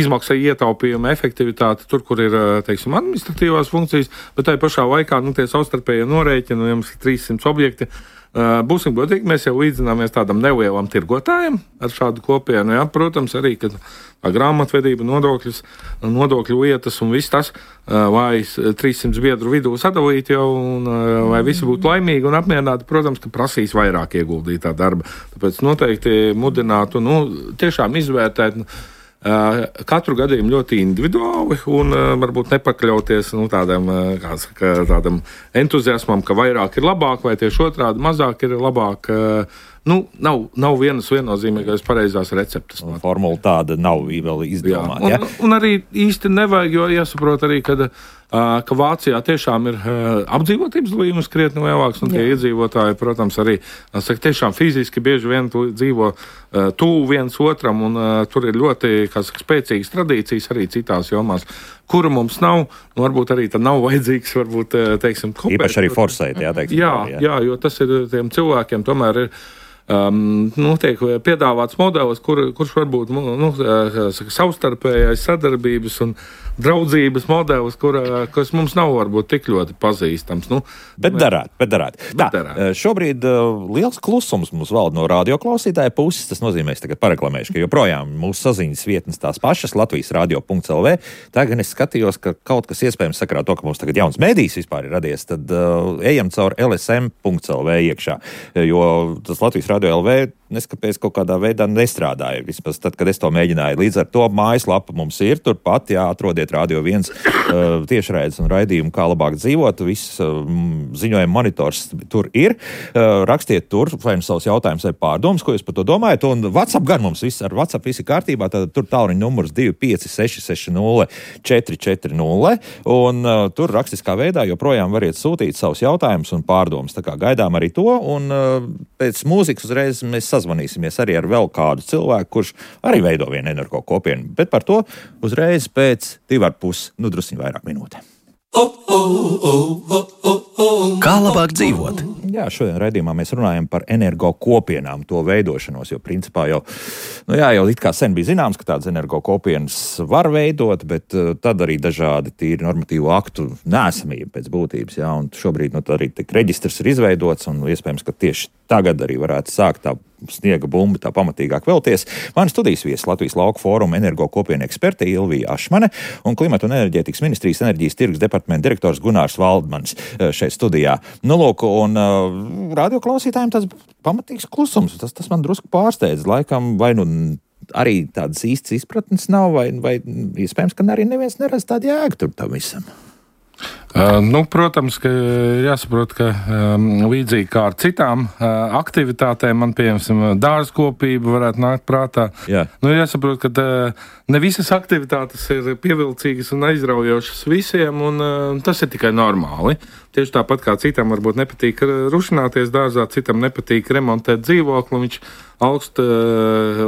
izmaksai ietaupījumu efektivitāti tur, kur ir, administratīvās funkcijas, bet tai pašā laikā, tie savstarpējie norēķini, jums ir 300 objekti. Būsim godīgi, mēs jau līdzināmies tādam nelielam tirgotājam ar šādu kopienu. Jā, protams, arī, kad grāmatvedība, nodokļu lietas un viss tas, lai 300 biedru vidū sadalīt jau, un lai visi būtu laimīgi un apmierināti, protams, ka prasīs vairāk ieguldītā darba. Tāpēc noteikti mudinātu, tiešām izvērtēt katru gadījumu ļoti individuāli un varbūt nepakļauties tādam entuziasmam, ka vairāk ir labāk vai tieši otrādi mazāk ir labāk. Nav vienas viennozīmīgās pareizās receptes.
Formula tāda nav vēl izdomāta.
Un arī īsti nevajag, jo jāsaprot arī, ka Vācijā tiešām ir apdzīvotības līmenis krietni lielāks, un tie iedzīvotāji, protams, arī tiešām fiziski bieži vien dzīvo tuvu viens otram, un tur ir ļoti spēcīgas tradīcijas arī citās jomās, kuru mums nav, varbūt arī tad nav vajadzīgs, kopēt.
Īpaši arī forsēt,
Jā, jo tas ir tiem cilvēkiem tomēr ir tiek piedāvāts modelis, kurš varbūt savstarpējais sadarbības un draudzības modelis, kas mums nav varbūt tik ļoti pazīstams.
Bet darāt. Šobrīd liels klusums mums valda no radioklausītāja puses. Tas nozīmē, es tagad pareklamēšu, ka joprojām mūsu saziņas vietnes tās pašas, latvijasradio.lv. Tagad es skatījos, ka kaut kas iespējams sakarā to, ka mums tagad jauns mēdījis vispār ir radies, tad ejam caur lsm.lv iekšā, jo tas Latvijas Radio LV neskapēc kaut kādā veidā nestrādāja. Vismaz tad, kad es to mēģināju. Līdz ar to mājaslapa mums ir turpat, atrodiet Radio 1 tiešraides un raidījumu, kā labāk dzīvot. Viss ziņojuma monitors tur ir. Rakstiet tur, vai savus jautājumus vai pārdomas, ko jūs par to domājat. Un WhatsApp gan mums viss, ar WhatsApp visi kārtībā, tad tur tālruņa numurs 25660 un tur rakstiskā veidā joprojām variet sūtīt savus jautājumus un pārdomas. Tā kā gaidām arī to, un pēc mūzikas uzreiz mēs sazvanīsimies arī ar vēl kādu cilvēku, kurš arī veido vienu energo kopienu. Bet par to uzreiz pēc 2,5, drusciņ vairāk minūte.
Kā labāk dzīvot?
Jā, šodien raidījumā mēs runājam par energo kopienām, to veidošanos, jo principā jau it kā sen bija zināms, ka tādas energo kopienas var veidot, bet tad arī dažādi tīri normatīvu aktu neesamība pēc būtības, un šobrīd arī tik reģistrs ir izveidots, un iespējams, ka tieši tagad arī varētu sākt tā sniega bumba tā pamatīgāk velties. Mani studijas viesis Latvijas Lauku fóruma energo kopienu eksperte Ilvija Ašmane un Klimata un enerģētikas ministrijas enerģijas tirgus departamenta direktors Gunārs Valdmans šeit studijā. Un radioklausītājiem tas pamatīgs klusums. Tas man drusku pārsteidz. Laikam vai arī tādas īstas izpratnes nav, vai iespējams, ka arī neviens neredz tādu jēgu tur tam visam.
Protams, ka jāsaprot, ka līdzīgi kā ar citām aktivitātēm, man pieņemsim dārzkopība varētu nākt prātā.
Jā.
Jāsaprot, ka ne visas aktivitātes ir pievilcīgas un aizraujošas visiem, un tas ir tikai normāli. Tieši tāpat kā citam varbūt nepatīk rušināties dārzā, citam nepatīk remontēt dzīvokli, viņš augst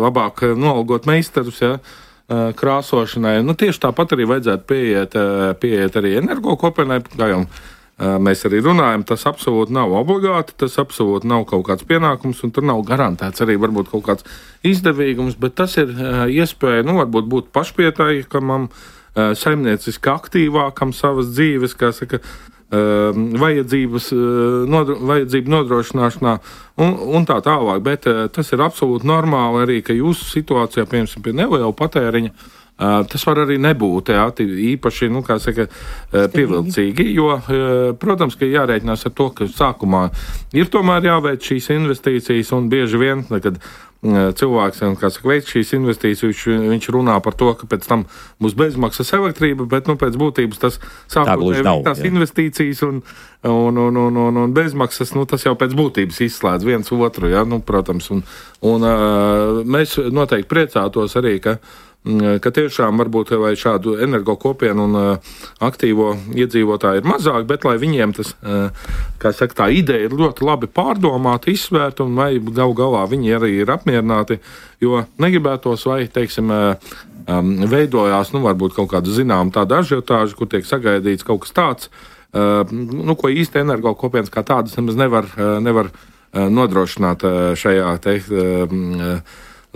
labāk nolgot meistarus, ja, krāsošanai. Tieši tāpat arī vajadzētu pieiet arī energokopienai, kā jau mēs arī runājam, tas absolūti nav obligāti, tas absolūti nav kaut kāds pienākums, un tur nav garantēts arī varbūt kaut kāds izdevīgums, bet tas ir iespēja, varbūt būt pašpietaikamam, saimnieciski aktīvākam savas dzīves, kā saka, vajadzību nodrošināšanā un tā tālāk, bet tas ir absolūti normāli arī, ka jūsu situācijā, piemēram, pie neliela patēriņa, tas var arī nebūt īpaši, pievilcīgi, jo, protams, ka jārēķinās ar to, ka sākumā ir tomēr jāveic šīs investīcijas, un bieži vien, kad cilvēks, veic šīs investīcijas, viņš runā par to, ka pēc tam būs bezmaksas elektrība, bet, pēc būtības tas sākotnēji tās investīcijas un bezmaksas, tas jau pēc būtības izslēdz viens otru, ja, protams, un mēs noteikti priecātos arī, ka tiešām varbūt vai šādu energokopienu un aktīvo iedzīvotāju ir mazāk, bet lai viņiem tas, tā ideja ir ļoti labi pārdomāta, izsvērta, un vai galā viņi arī ir apmierināti, jo negribētos vai, veidojās, varbūt kaut kāda zinām tāda ažiotāža, kur tiek sagaidīts kaut kas tāds, ko īsti energokopienas kā tādas nemaz nevar nodrošināt šajā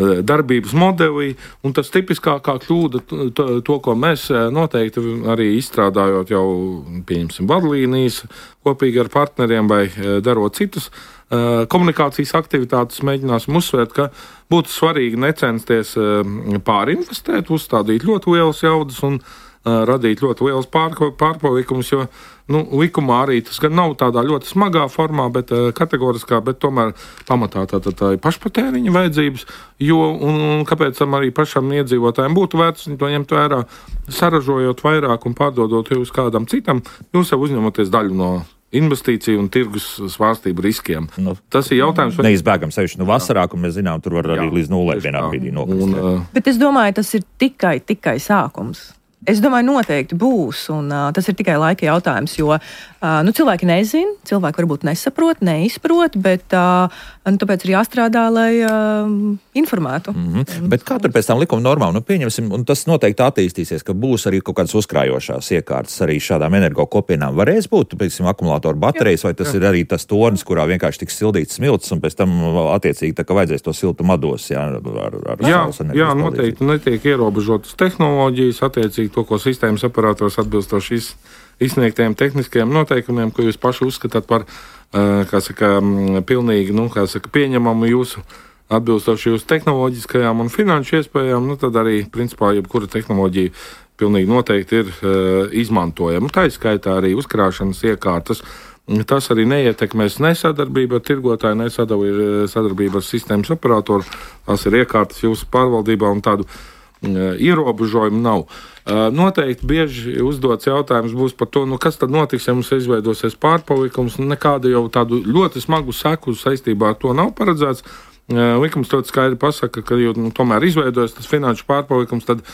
darbības modelī, un tas tipiskākā kļūda, to, ko mēs noteikti arī izstrādājot jau, pieņemsim, vadlīnijas kopīgi ar partneriem vai darot citus komunikācijas aktivitātes, mēģināsim uzsvērt, ka būtu svarīgi necensties pārinvestēt, uzstādīt ļoti lielas jaudas un radīt ļoti liels pārpalikumus, jo likumā arī tas gan nav tādā ļoti smagā formā, bet kategoriskā, bet tomēr pamatā tā ir pašpatēriņa vajadzības, jo un kāpēc tam arī pašam iedzīvotājiem būtu vērts to ņemt vērā, saražojot vairāk un pārdodot uz kādam citam, jūs jau uzņematies daļu no investīciju un tirgus svārstību riskiem. Tas ir jautājums.
Neizbēgam sevišķi vasarā, un mēs zinām, tur var arī līdz nulē vienā brīdī nokrist.
Bet es domāju, tas ir tikai sākums. Es domāju, noteikti būs, un tas ir tikai laika jautājums, jo cilvēki nezina, cilvēki varbūt nesaprot, neizprot, bet tāpēc ir jāstrādā, lai informētu.
Bet kā tur pēc tam likuma normām? Pieņemsim, un tas noteikti attīstīsies, ka būs arī kaut kādas uzkrājošās iekārtas arī šādām energokopienām. Varēs būt, piemēram, akumulātoru baterijas, vai tas ir arī tas tornis, kurā vienkārši tiks sildīts smilts, un pēc tam attiecīgi tā, ka vajadzēs to siltumu atdos,
jā, noteikti netiek ierobežotas tehnoloģijas, attiecīgi to, ko sistēmas operators atbilstoši izsniegtajiem tehniskajiem noteikumiem, ko jūs paši uzskatāt par, pilnīgi, pieņemamu jūsu atbilstoši jūsu tehnoloģiskajām un finanšu iespējām, tad arī, principā, jebkura tehnoloģija pilnīgi noteikti ir izmantojama. Tā izskaitā arī uzkrāšanas iekārtas. Tas arī neietekmēs nesadarbību ar tirgotāju, nesadarbību ar sistēmas operatoru. Tas ir iekārtas jūsu pārvaldībā un tādu ierobežojumu nav. Noteikti bieži uzdots jautājums būs par to, kas tad notiks, ja mums izveidosies pārpalikums, nekādu jau tādu ļoti smagu seku saistībā ar to nav paredzēts. Likums ļoti skaidri pasaka, ka jau tomēr izveidojas tas finanšu pārpalikums, tad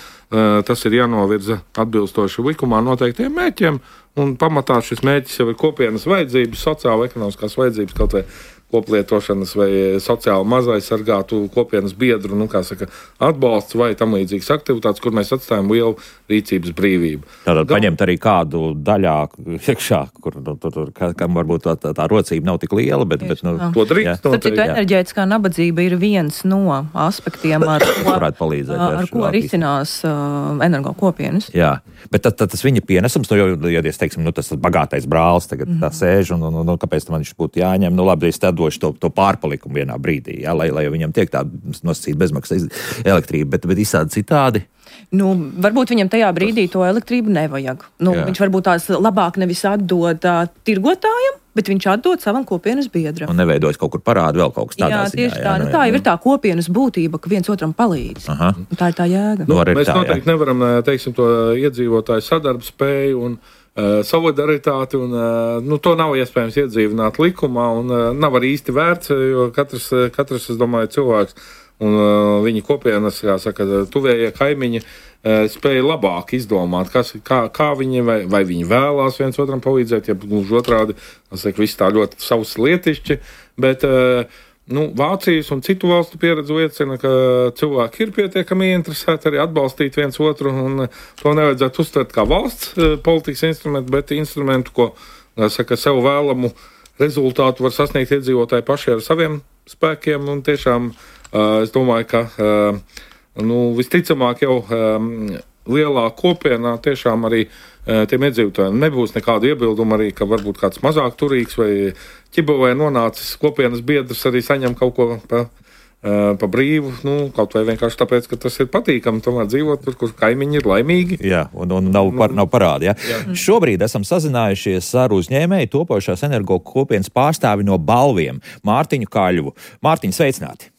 tas ir jānovirza atbilstoši likumā noteiktiem mērķiem, un pamatā šis mērķis jau ir kopienas vajadzības, sociālo-ekonomiskās vajadzības, kaut vai koplietošanas vai sociāli mazaizsargātu kopienas biedru, atbalsts vai tam līdzīgas aktivitātes, kur mēs atstājam lielu rīcības brīvību.
Tātad paņemt arī kādu daļā iekšā, kur kam varbūt tā rocība nav tik liela, bet
to drīkst.
Starp citu, enerģētiskā nabadzība ir viens no aspektiem, ar ko risinās energokopienas.
Jā, bet tas viņa pienesums, ja teiksim, tas bagātais brālis tagad tā sēž, un kāpēc man viņš būtu jāņem, labi, es došu to pārpalikumu vienā brīdī, lai viņam tiek tā nosacīta bezmaksas elektrība, bet izsādi citādi.
Varbūt viņam tajā brīdī to elektrību nevajag. Viņš varbūt tās labāk nevis atdod tirgotājiem, bet viņš atdod savam kopienas biedram.
Un neveidojas kaut kur parādu vēl kaut kas tādā ziņā.
Tieši tā. Tā jau ir tā kopienas būtība, ka viens otram palīdz. Tā ir tā jēga.
Mēs noteikti nevaram, to iedzīvotāju sadarbspēju un solidaritāti, un to nav iespējams iedzīvināt likumā, un nav arī īsti vērts, jo katrs, es domāju, cilvēks un viņa kopienas, kā saka, tuvējie kaimiņi spēja labāk izdomāt, kā viņi, vai viņi vēlās viens otram palīdzēt, ja gluži otrādi, es saku, viss tā ļoti savs lietišķi, bet Vācijas un citu valstu pieredze liecina, ka cilvēki ir pietiekami interesēti arī atbalstīt viens otru, un to nevajadzētu uztvert kā valsts politikas instrumentu, bet instrumentu, ko, saka, sev vēlamu rezultātu var sasniegt iedzīvotāji paši ar saviem spēkiem, un tiešām es domāju, ka visticamāk jau lielā kopienā tiešām arī tiem iedzīvotājiem nebūs nekādu iebildumu arī, ka varbūt kāds mazāk turīgs vai ķibelē nonācis kopienas biedrs arī saņem kaut ko pa brīvu, kaut vai vienkārši tāpēc, ka tas ir patīkami tomēr dzīvot tur, kur kaimiņi ir laimīgi.
Jā, un nav parādi. Jā. Šobrīd esam sazinājušies ar uzņēmēju topošās energo kopienas pārstāvi no Balviem, Mārtiņu Kaļvu. Mārtiņ, sveicināti!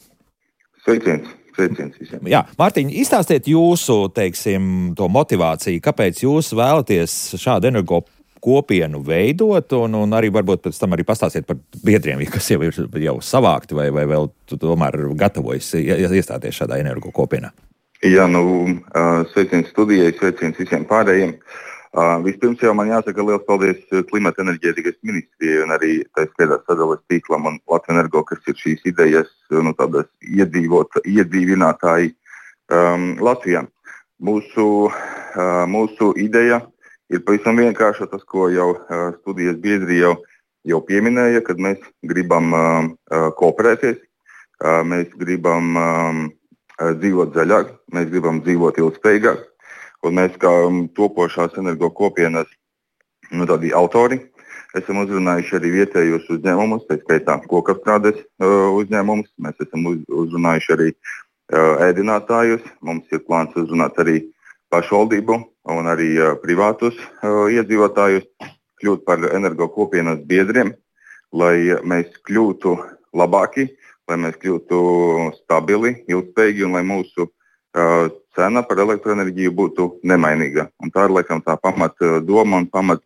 Sveiciens visiem.
Jā, Mārtiņ, izstāstiet jūsu, teiksim, to motivāciju, kāpēc jūs vēlaties šādu energo kopienu veidot, un arī varbūt pēc tam arī pastāstiet par biedriem, kas jau ir savākti vai vēl tomēr gatavojas iestāties šādā energo kopienā.
Jā, sveiciens studijai, sveiciens visiem pārējiem. Vispirms jau man jāsaka liels paldies Klimata enerģētikas ministrijai un arī tā skaitā sadales tīklam un Latvijas Energo, kas ir šīs idejas tādas iedzīvinātāji Latvijā. Mūsu ideja ir pavisam vienkārša, tas, ko jau studijas biedri jau pieminēja, kad mēs gribam kooperēties, mēs gribam dzīvot zaļāk, mēs gribam dzīvot ilgspējīgāk. Un mēs kā topošās energo kopienas tādi autori esam uzrunājuši arī vietējos uzņēmumus, tā skaitā kokapstrādes uzņēmumus, mēs esam uzrunājuši arī ēdinātājus, mums ir plāns uzrunāt arī pašvaldību un arī privātus iedzīvotājus, kļūt par energo kopienas biedriem, lai mēs kļūtu labāki, lai mēs kļūtu stabili, ilgspējīgi un lai mūsu cena par elektroenerģiju būtu nemainīga. Un tā ir laikam tā pamat doma un pamat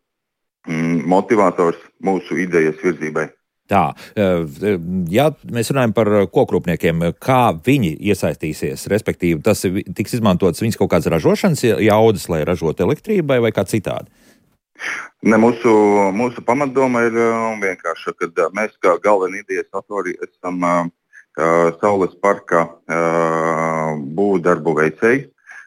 motivators mūsu idejas virzībai.
Tā, ja mēs runājam par kokrūpniekiem, kā viņi iesaistīsies, respektīvi tas tiks izmantots viņas kaut kādas ražošanas jaudas, lai ražotu elektrībai vai kā citādi?
Ne, mūsu pamatdoma ir vienkārša, kad mēs kā galvenie idejas autori esam Saules parka būvdarbu veicēji.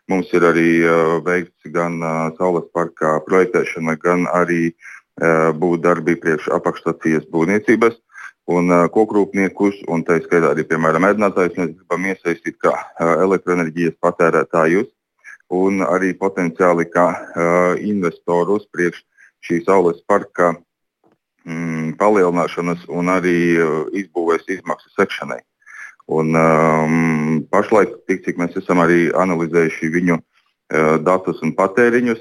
Mums ir arī veikts gan Saules parka projektēšana, gan arī būvdarbi priekš apakšstacijas būvniecības un kokrūpniekus, un tā skaitā arī, piemēram, ēdinātājus mēs gribam iesaistīt kā elektroenerģijas patērētājus un arī potenciāli kā investorus priekš šī Saules parka palielināšanas un arī izbūvēs izmaksu sekšanai. Un pašlaik, cik mēs esam arī analizējuši viņu datus un patēriņus,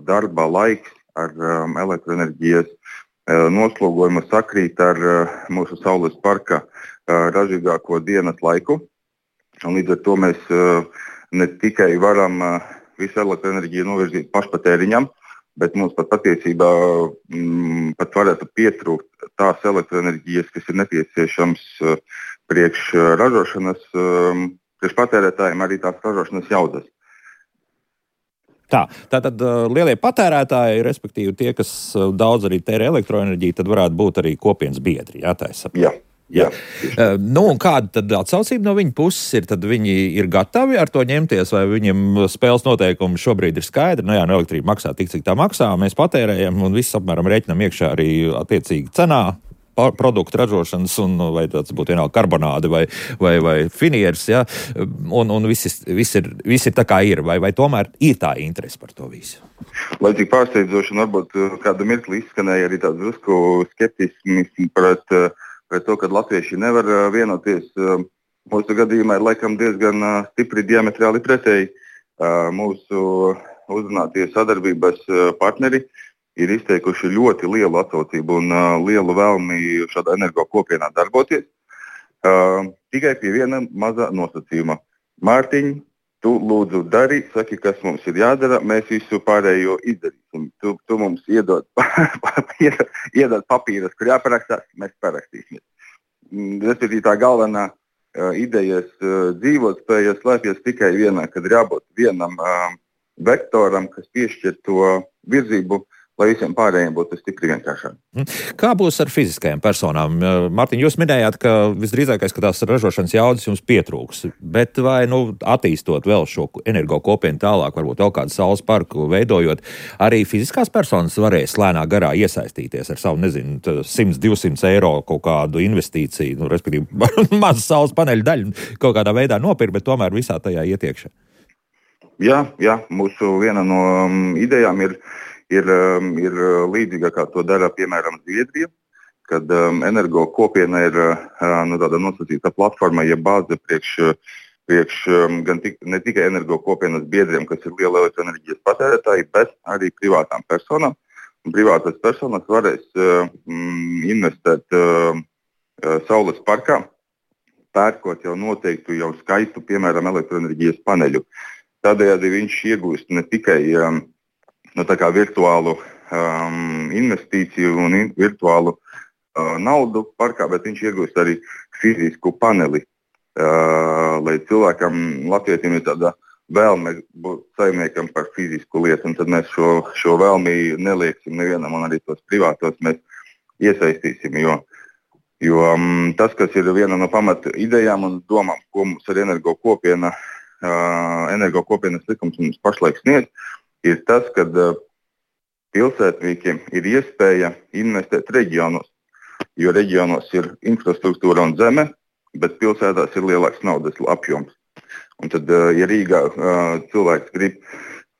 darba laiks ar elektroenerģijas noslogojumu sakrīt ar mūsu Saules parka ražīgāko dienas laiku. Un līdz ar to mēs ne tikai varam visu elektroenerģiju novirzīt pašpatēriņam, bet mums patiesībā pat varētu pietrūkt tās elektroenerģijas, kas ir nepieciešams priekš ražošanas, priekš patērētājiem arī tās ražošanas jaudas.
Tātad lielie patērētāji, respektīvi tie, kas daudz arī tērē elektroenerģiju, tad varētu būt arī kopienas biedri, jā, tā es saprotu.
Jā.
Un kāda tad atsaucība no viņa puses ir? Tad viņi ir gatavi ar to ņemties, vai viņiem spēles noteikumi šobrīd ir skaidri? Elektrība maksā tik, cik tā maksā, mēs patērējam un viss apmēram rēķinam iekšā arī attiecīgi cenā produktu ražošanas, un vai tas būtu vienalga karbonāde vai finieris, ja? Un viss ir tā kā ir, vai tomēr ir tā interese par to visu?
Lai cik pārsteidzoši, un varbūt kādu mirkli izskanēja arī tāds drusku skeptisms pret to, ka latvieši nevar vienoties. Mūsu gadījumā ir laikam diezgan stipri diametrāli pretēji. Mūsu uzrunātie sadarbības partneri ir izteikuši ļoti lielu atsaucību un lielu vēlmi šādā energo kopienā darboties. Tikai pie viena maza nosacījuma. Mārtiņ, tu lūdzu dari, saki, kas mums ir jādara, mēs visu pārējo izdarīsim. teiksim, tu mums iedod papīrus, kur jāparakstās, mēs parakstīsimies. Respektīvi tā galvenā idejas dzīvotspēja slēpjas tikai vienā, kad ir jābūt vienam vektoram, kas piešķir to virzību, lai visiem pārējiem būtu stipri vienkāršāk.
Kā būs ar fiziskajām personām? Mārtiņ, jūs minējāt, ka visdrīzākais, ka tās ražošanas jaudas jums pietrūks, bet vai attīstot vēl šo energokopienu tālāk, varbūt vēl kādu saules parku veidojot, arī fiziskās personas varēs lēnā garā iesaistīties ar savu, 100-200 eiro kaut kādu investīciju, respektīvi mazu saules paneļu daļu kaut kādā veidā nopirkt, bet tomēr visā tajā ietiekšā? Jā,
mūsu viena no idejām ir līdzīga, kā to dara, piemēram, Zviedrija, kad energokopiena ir tāda nosacīta platforma, ja bāze priekš ne tikai energokopienas biedriem, kas ir liela elektroenerģijas patērētāji, bet arī privātām personām. Un privātas personas varēs investēt saules parkā, pērkot jau noteiktu, jau skaistu, piemēram, elektroenerģijas paneļu. Tādējādi viņš iegūst ne tikai virtuālu investīciju un virtuālu naudu parkā, bet viņš iegūst arī fizisku paneli, lai cilvēkam, latvietim ir tāda vēlme būt saimniekam par fizisku lietu, un tad mēs šo vēlmi nelieksim nevienam, un arī tos privātos mēs iesaistīsim, jo tas, kas ir viena no pamata idejām un domām, ko mums ar energokopienas likums mums pašlaik sniedz, ir tas, ka pilsētniekiem ir iespēja investēt reģionos, jo reģionos ir infrastruktūra un zeme, bet pilsētās ir lielāks naudas apjoms. Un tad, ja Rīgā cilvēks grib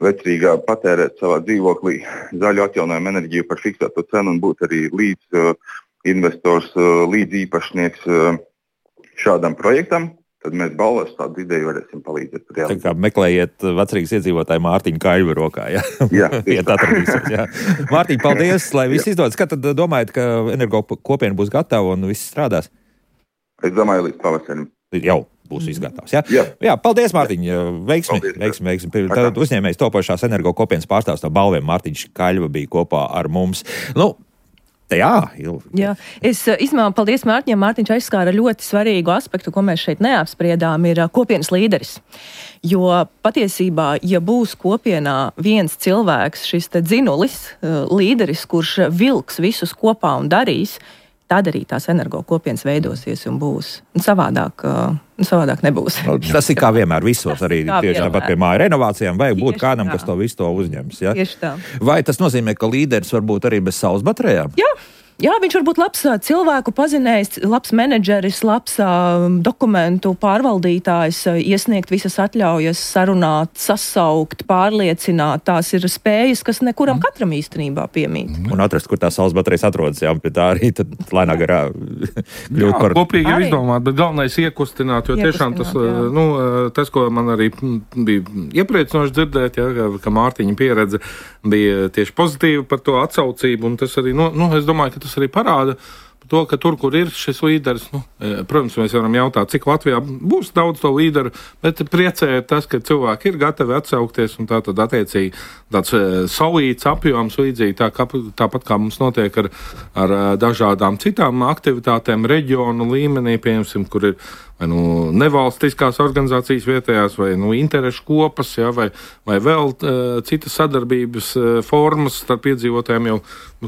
vecrīgā patērēt savā dzīvoklī zaļu atjaunojumu enerģiju par fiksēto cenu un būt arī līdz investors, līdz īpašnieks šādam projektam, tad mēs balvas tādu ideju varēsim palīdzēt.
Tā kā meklējiet vecrīgas iedzīvotāju Mārtiņu Kaļvu rokā, jā?
Jā.
Mārtiņ, paldies, lai viss izdodas. Kad tad domājat, ka energokopiena būs gatava un viss strādās?
Es domāju, līdz pavasarim.
Jau būs viss gatavs, jā? Jā, paldies, Mārtiņ, veiksmi. Tad uzņēmējs topošās energokopienas pārstāvs no Balviem Mārtiņš Kaļva bija kopā ar mums. Jā.
Es izmēlu paldies Mārtiņam. Mārtiņš aizskāra ļoti svarīgu aspektu, ko mēs šeit neapspriedām, ir kopienas līderis. Jo patiesībā, ja būs kopienā viens cilvēks, šis te dzinulis, līderis, kurš vilks visus kopā un darīs, tad arī tās energokopienas veidosies un būs. Un savādāk nebūs.
Tas ir kā vienmēr visos, arī tieši tāpat pie māju renovācijām, vajag būt kādam, kas to visu to uzņems. Ja?
Tieši tā.
Vai tas nozīmē, ka līderis var būt arī bez saules baterijām?
Jā, viņš var būt labs cilvēku pazinējs, labs menedžeris, labs dokumentu pārvaldītājs, iesniegt visas atļaujas, sarunāt, sasaukt, pārliecināt. Tās ir spējas, kas nekuram katram īstenībā piemīt.
Un atrast, kur tās saules baterijas atrodas, jā, pie tā arī tad lēnā garā kļūt par...
Kopīgi ir izdomāt, bet galvenais iekustināt, jo tiešām tas, ko man arī bija iepriecinoši dzirdēt, ka Mārtiņa pieredze bija tieši pozitīva par to atsaucību, un tas arī, es domāju, ka tas arī parāda to, ka tur, kur ir šis līderis, protams, mēs varam jautāt, cik Latvijā būs daudz to līderu, bet priecē tas, ka cilvēki ir gatavi atsaukties, un tā tad attiecīgi tāds solīts apjoms līdzīgi, tāpat kā mums notiek ar dažādām citām aktivitātēm reģionu līmenī, piemēram, kur ir vai nevalstiskās organizācijas vietējās, vai interešu kopas, vai vēl citas sadarbības formas starp iedzīvotājiem jau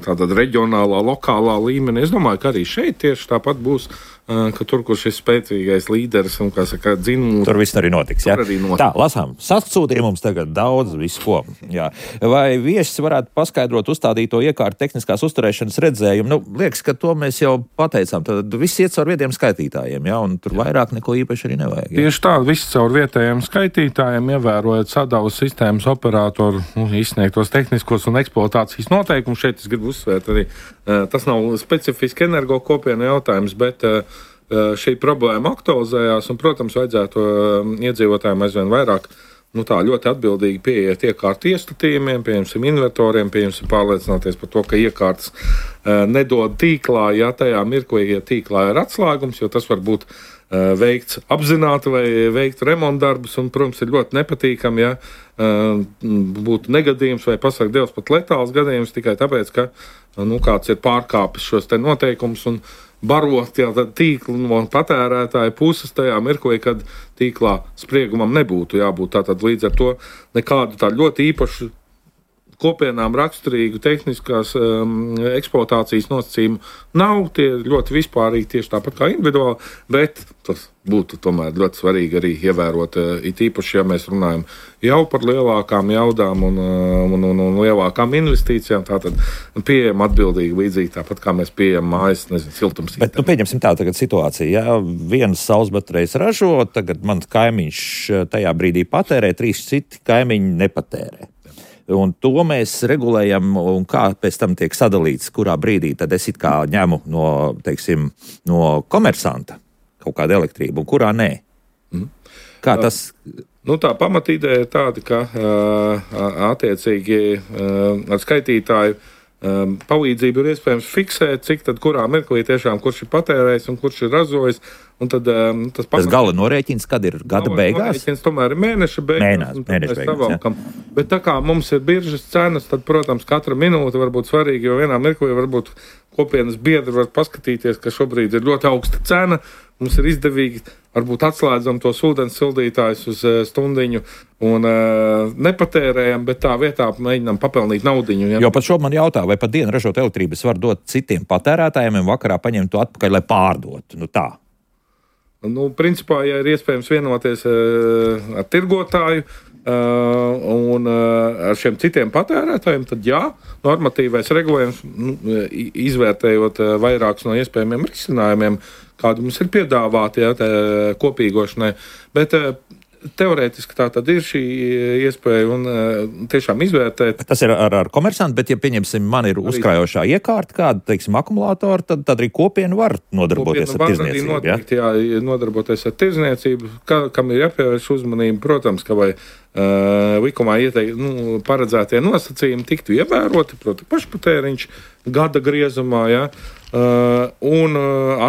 tādā reģionālā, lokālā līmenī. Es domāju, ka arī šeit tieši tāpat būs, ka tur, kur šis spēcīgais līderis un, kā saka, dzinulis.
Tur viss arī notiks, jā? Tā, lasām. Sasūtīja mums tagad daudz visu ko. Jā. Vai viesis varētu paskaidrot uzstādīto iekārtu tehniskās uzturēšanas redzējumu? Liekas, ka to mēs jau pateicām. Tad viss iet caur vietiem skaitītājiem, jā? Un tur vairāk neko īpaši arī nevajag. Jā?
Tieši tā, viss caur vietējiem skaitītājiem, ievērojot sadavas sistēmas operatoru izsniegtos tehniskos un eksploatācijas noteikumus. Šeit es gribu uzsvērt arī, tas nav specifiski energokopienu jautājums, bet šī problēma aktualizējās, un, protams, vajadzētu iedzīvotājiem aizvien vairāk ļoti atbildīgi pieiet iekārtu iestatījumiem, piemēram, invertoriem, pārliecināties par to, ka iekārtas nedod tīklā, ja tajā mirklī, ja tīklā ir atslēgums, jo tas var būt veikts apzināti vai veikt remontdarbus, un, protams, ir ļoti nepatīkami, ja būtu negadījums vai pasaka Dievs pat letāls gadījums tikai tāpēc, ka kāds ir pārkāpis šos te noteikumus un barot tīklu no patērētāja puses tajā mirklī, kad tīklā spriegumam nebūtu jābūt. Tātad līdz ar to nekādu tā ļoti īpašu kopienām raksturīgu tehniskās eksploatācijas nosacījumu nav. Tie ļoti vispārīgi tieši tāpat kā individuāli, bet tas būtu tomēr ļoti svarīgi arī ievērot, it īpaši, ja mēs runājam jau par lielākām jaudām un lielākām investīcijām, tātad pieejam atbildīgi līdzīgi tāpat kā mēs pieejam mājas, siltumsītēm.
Bet, pieņemsim tā tagad situācija, ja vienas saules baterijas ražo, tagad mans kaimiņš tajā brīdī patērē, 3 citi kaimiņi nepatērē. Un to mēs regulējam, un kā pēc tam tiek sadalīts, kurā brīdī tad es it kā ņemu no komersanta kaut kādu elektrību, un kurā nē. Kā tas?
Tā pamatīdeja ir tāda, ka attiecīgi ar skaitītāju palīdzību ir iespējams fiksēt, cik tad kurā mirklī tiešām kurš ir patērējis un kurš ir ražojis. Un tad, tas
gala norēķins, kad ir gada beigās?
Norēķins tomēr ir mēneša beigās.
Mēneša beigās,
bet tā kā mums ir biržas cenas, tad, protams, katra minūte var būt svarīga, jo vienā mirklī varbūt kopienas biedri var paskatīties, ka šobrīd ir ļoti augsta cena, mums ir izdevīgi, varbūt atslēdzam tos ūdens sildītājus uz stundiņu un nepatērējam, bet tā vietā mēģinām papelnīt naudiņu. Ja?
Jo pat šo man jautā, vai pat dienu ražot elektrības var dot citiem patērētājiem un vakarā paņemt to atpakaļ, lai pārdotu. Tā.
Principā, ja ir iespējams vienoties ar tirgotāju un ar šiem citiem patērētājiem, tad jā, normatīvais regulējums, izvērtējot vairākus no iespējamiem risinājumiem, kādi mums ir piedāvāti kopīgošanai, bet teorētiski tā tad ir šī iespēja un tiešām izvērtēt.
Tas ir ar komersantu, bet ja pieņemsim, man ir uzkrājošā iekārta kāda, teiksim, akumulātori, tad arī kopiena var nodarboties ar tirzniecību.
Noteikti, jā, nodarboties ar tirzniecību, kam ir jāpievērš uzmanība, protams, ka vai likumā paredzētie nosacījumi tiktu ievēroti, proti pašpatēriņš gada griezumā, jā, un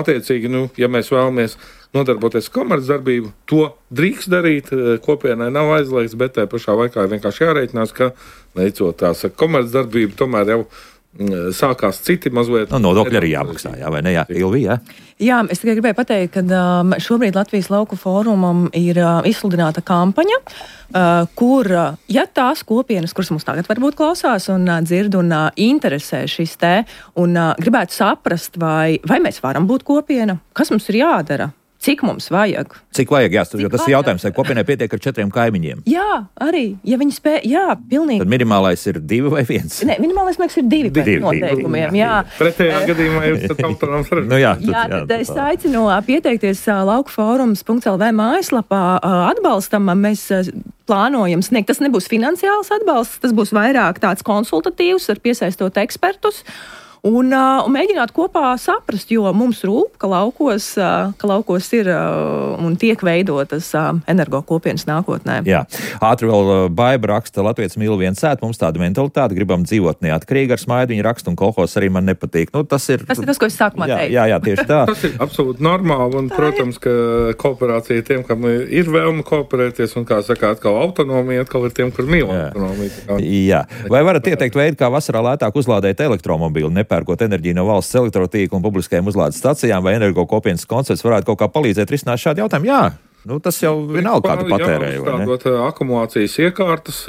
attiecīgi, ja mēs vēlamies nodarboties komercdarbību, to drīkst darīt, kopienai nav aizliegts, bet tajā pašā laikā ir vienkārši jārēķinās, ka veicot tās komercdarbību, tomēr jau sākās citi mazliet.
Nodokļi arī jāmaksā, vai ne? Jā, Ilvija?
Jā, es tikai gribēju pateikt, ka šobrīd Latvijas lauku fórumam ir izsludināta kampaņa, kur, ja tās kopienas, kuras mums tagad varbūt klausās un dzird un interesē šis te, un gribētu saprast, vai mēs varam būt kopiena, kas mums ir jādara? Cik mums vajag?
Cik vajag, jo tas ir jautājums, vai kopienai pietiek ar 4 kaimiņiem?
Jā, arī, ja viņi spēj, jā, pilnīgi.
Tad minimālais ir 2 vai 1?
Nē, minimālais, man liekas, ir 2 pēc noteikumiem, jā.
Pretējā gadījumā jūs tad autonām sarežģīt.
Jā, tad es aicinu pieteikties laukforums.lv mājaslapā atbalstam, mēs plānojam sniegt. Tas nebūs finansiāls atbalsts, tas būs vairāk tāds konsultatīvs, ar piesaistot ekspertus. Un mēģināt kopā saprast, jo mums rūp, ka laukos ir un tiek veidotas energokopienas nākotnē.
Jā, ātri vēl Baiba raksta, Latvijas mīl viens sēt, mums tāda mentalitāte, gribam dzīvot neatkarīgi ar smaidu, viņa raksta, un kolhos arī man nepatīk. Tas ir tas, ko es sākumā teicu. Jā, tieši tā.
Tas ir absolūti normāli, un, protams, ka kooperācija tiem, kam ir vēlme kooperēties, un, kā saka, atkal autonomija, atkal ir tiem, kur mīl autonomiju.
Jā, vai varat ieteikt veidu, kā vasarā lētāk uzlādēt elektromobīli, pērkot enerģiju no valsts elektrotīkla un publiskajām uzlādes stacijām, vai energokopienas koncepts varētu kaut kā palīdzēt risināt šādu jautājumu? Jā, tas jau vienalga kādu patērēju.
Uzstādot akumulācijas iekārtas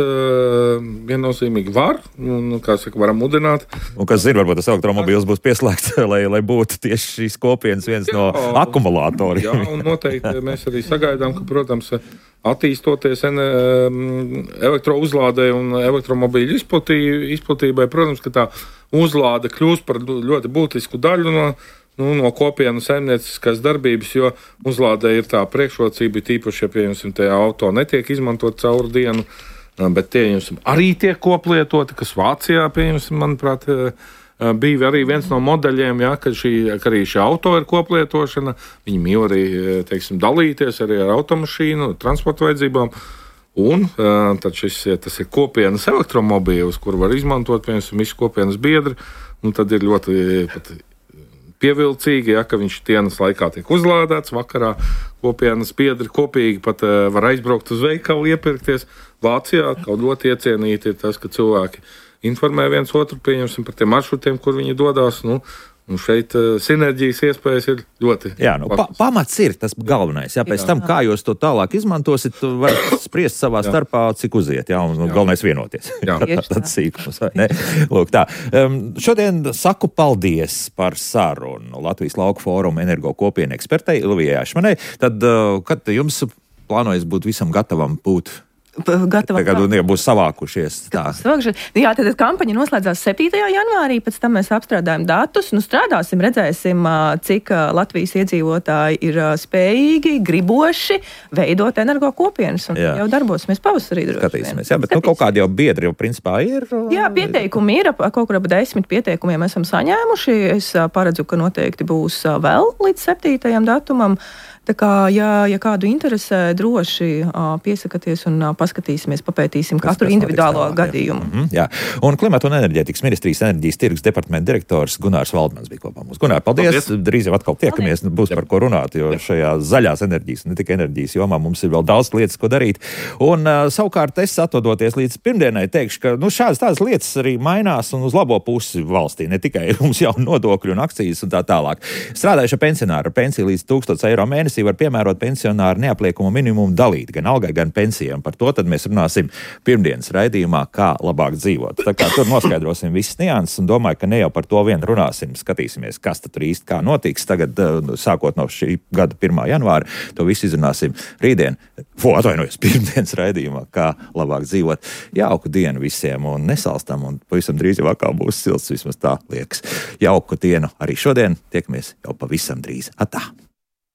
viennozīmīgi var, un, kā saka, varam mudināt.
Un kas zina, varbūt tas elektromobīls būs pieslēgts, lai būtu tieši šīs kopienas viens no akumulātoriem.
Jā, un noteikti mēs arī sagaidām, ka, protams, attīstoties elektrouzlādē un elektromobīļu izplatībai, protams, ka tā uzlāde kļūst par ļoti būtisku daļu no kopienas saimnieciskās darbības, jo uzlādē ir tā priekšrocība, tīpaši, ja, pieņemsim, tajā auto netiek izmantot caur dienu, bet tie, arī tiek koplietoti, kas Vācijā, pieņemsim, manuprāt, bija arī viens no modeļiem, ka arī šī auto ir koplietošana, viņi mīl arī, teiksim, dalīties arī ar automašīnu, transporta vajadzībām. Un tad tas ir kopienas elektromobīls, kur var izmantot, piemēram, visi kopienas biedri, un tad ir ļoti pievilcīgi, ka viņš dienas laikā tiek uzlādēts, vakarā kopienas biedri kopīgi pat var aizbraukt uz veikalu, iepirkties. Vācijā kaut ļoti iecienīti ir tas, ka cilvēki informē viens otru, pieņemsim par tiem maršrutiem, kur viņi dodās. Un šeit sinerģijas iespējas ir ļoti.
Jā, pamats ir tas galvenais. Jā, pēc tam, kā jūs to tālāk izmantosit, varat spriest savā starpā, cik uziet. Jā, un galvenais vienoties. Tad sīkums, vai ne? Lūk, tā. Šodien saku paldies par sarunu Latvijas Lauku fóruma energo kopienu ekspertei Ilvijai Ašmanai. Tad, kad jums plānojas būt visam gatavam būt? Tagad būs savākušies.
Jā, tad kampaņa noslēdzās 7. janvārī, pēc tam mēs apstrādājam datus, strādāsim, redzēsim, cik Latvijas iedzīvotāji ir spējīgi, griboši veidot energo kopienas, un jau darbosimies pavasarī.
Skatīsimies, jā, bet kaut kādi jau biedri jau principā ir.
Jā, pieteikumi ir, kaut kur ap 10 pieteikumiem esam saņēmuši, es paredzu, ka noteikti būs vēl līdz 7. datumam. Tā kā, ja kādu interesē, droši piesakaties un paskatīsimies, papētīsim katru individuālo gadījumu.
Jā. Un Klimata un enerģētikas ministrijas enerģijas tirgus departamenta direktors Gunārs Valdmans bija kopā mums. Gunār, paldies! Drīz jau atkal tiekamies, būs par ko runāt, jo šajā zaļās enerģijas, ne tikai enerģijas jomā, mums ir vēl daudz lietas, ko darīt. Un savukārt es atvadoties līdz pirmdienai teikšu, ka šādas tādas lietas arī mainās un uz labo pusi valstī, ne tikai mums jau nodokļu un akcijas un tā tālāk. Strādājuši pensionāri ar pensiju līdz 1000 eiro mēnesī var piemērot pensionāru neapliekumu minimumu dalīt gan algai, gan pensijām. Par to tad mēs runāsim pirmdienas raidījumā, kā labāk dzīvot. Tā kā tur noskaidrosim visas nianses un domāju, ka ne jau par to vien runāsim. Skatīsimies, kas tad tur īsti kā notiks. Tagad, sākot no šī gada 1. janvāra, to visu izrunāsim rītdien. Pirmdienas raidījumā, kā labāk dzīvot. Jauku dienu visiem un nesalstam un pavisam drīz jau atkal būs silts, vismaz tā liekas. Jauku dienu arī šodien. Tiekamies jau pavisam drīz. Atā!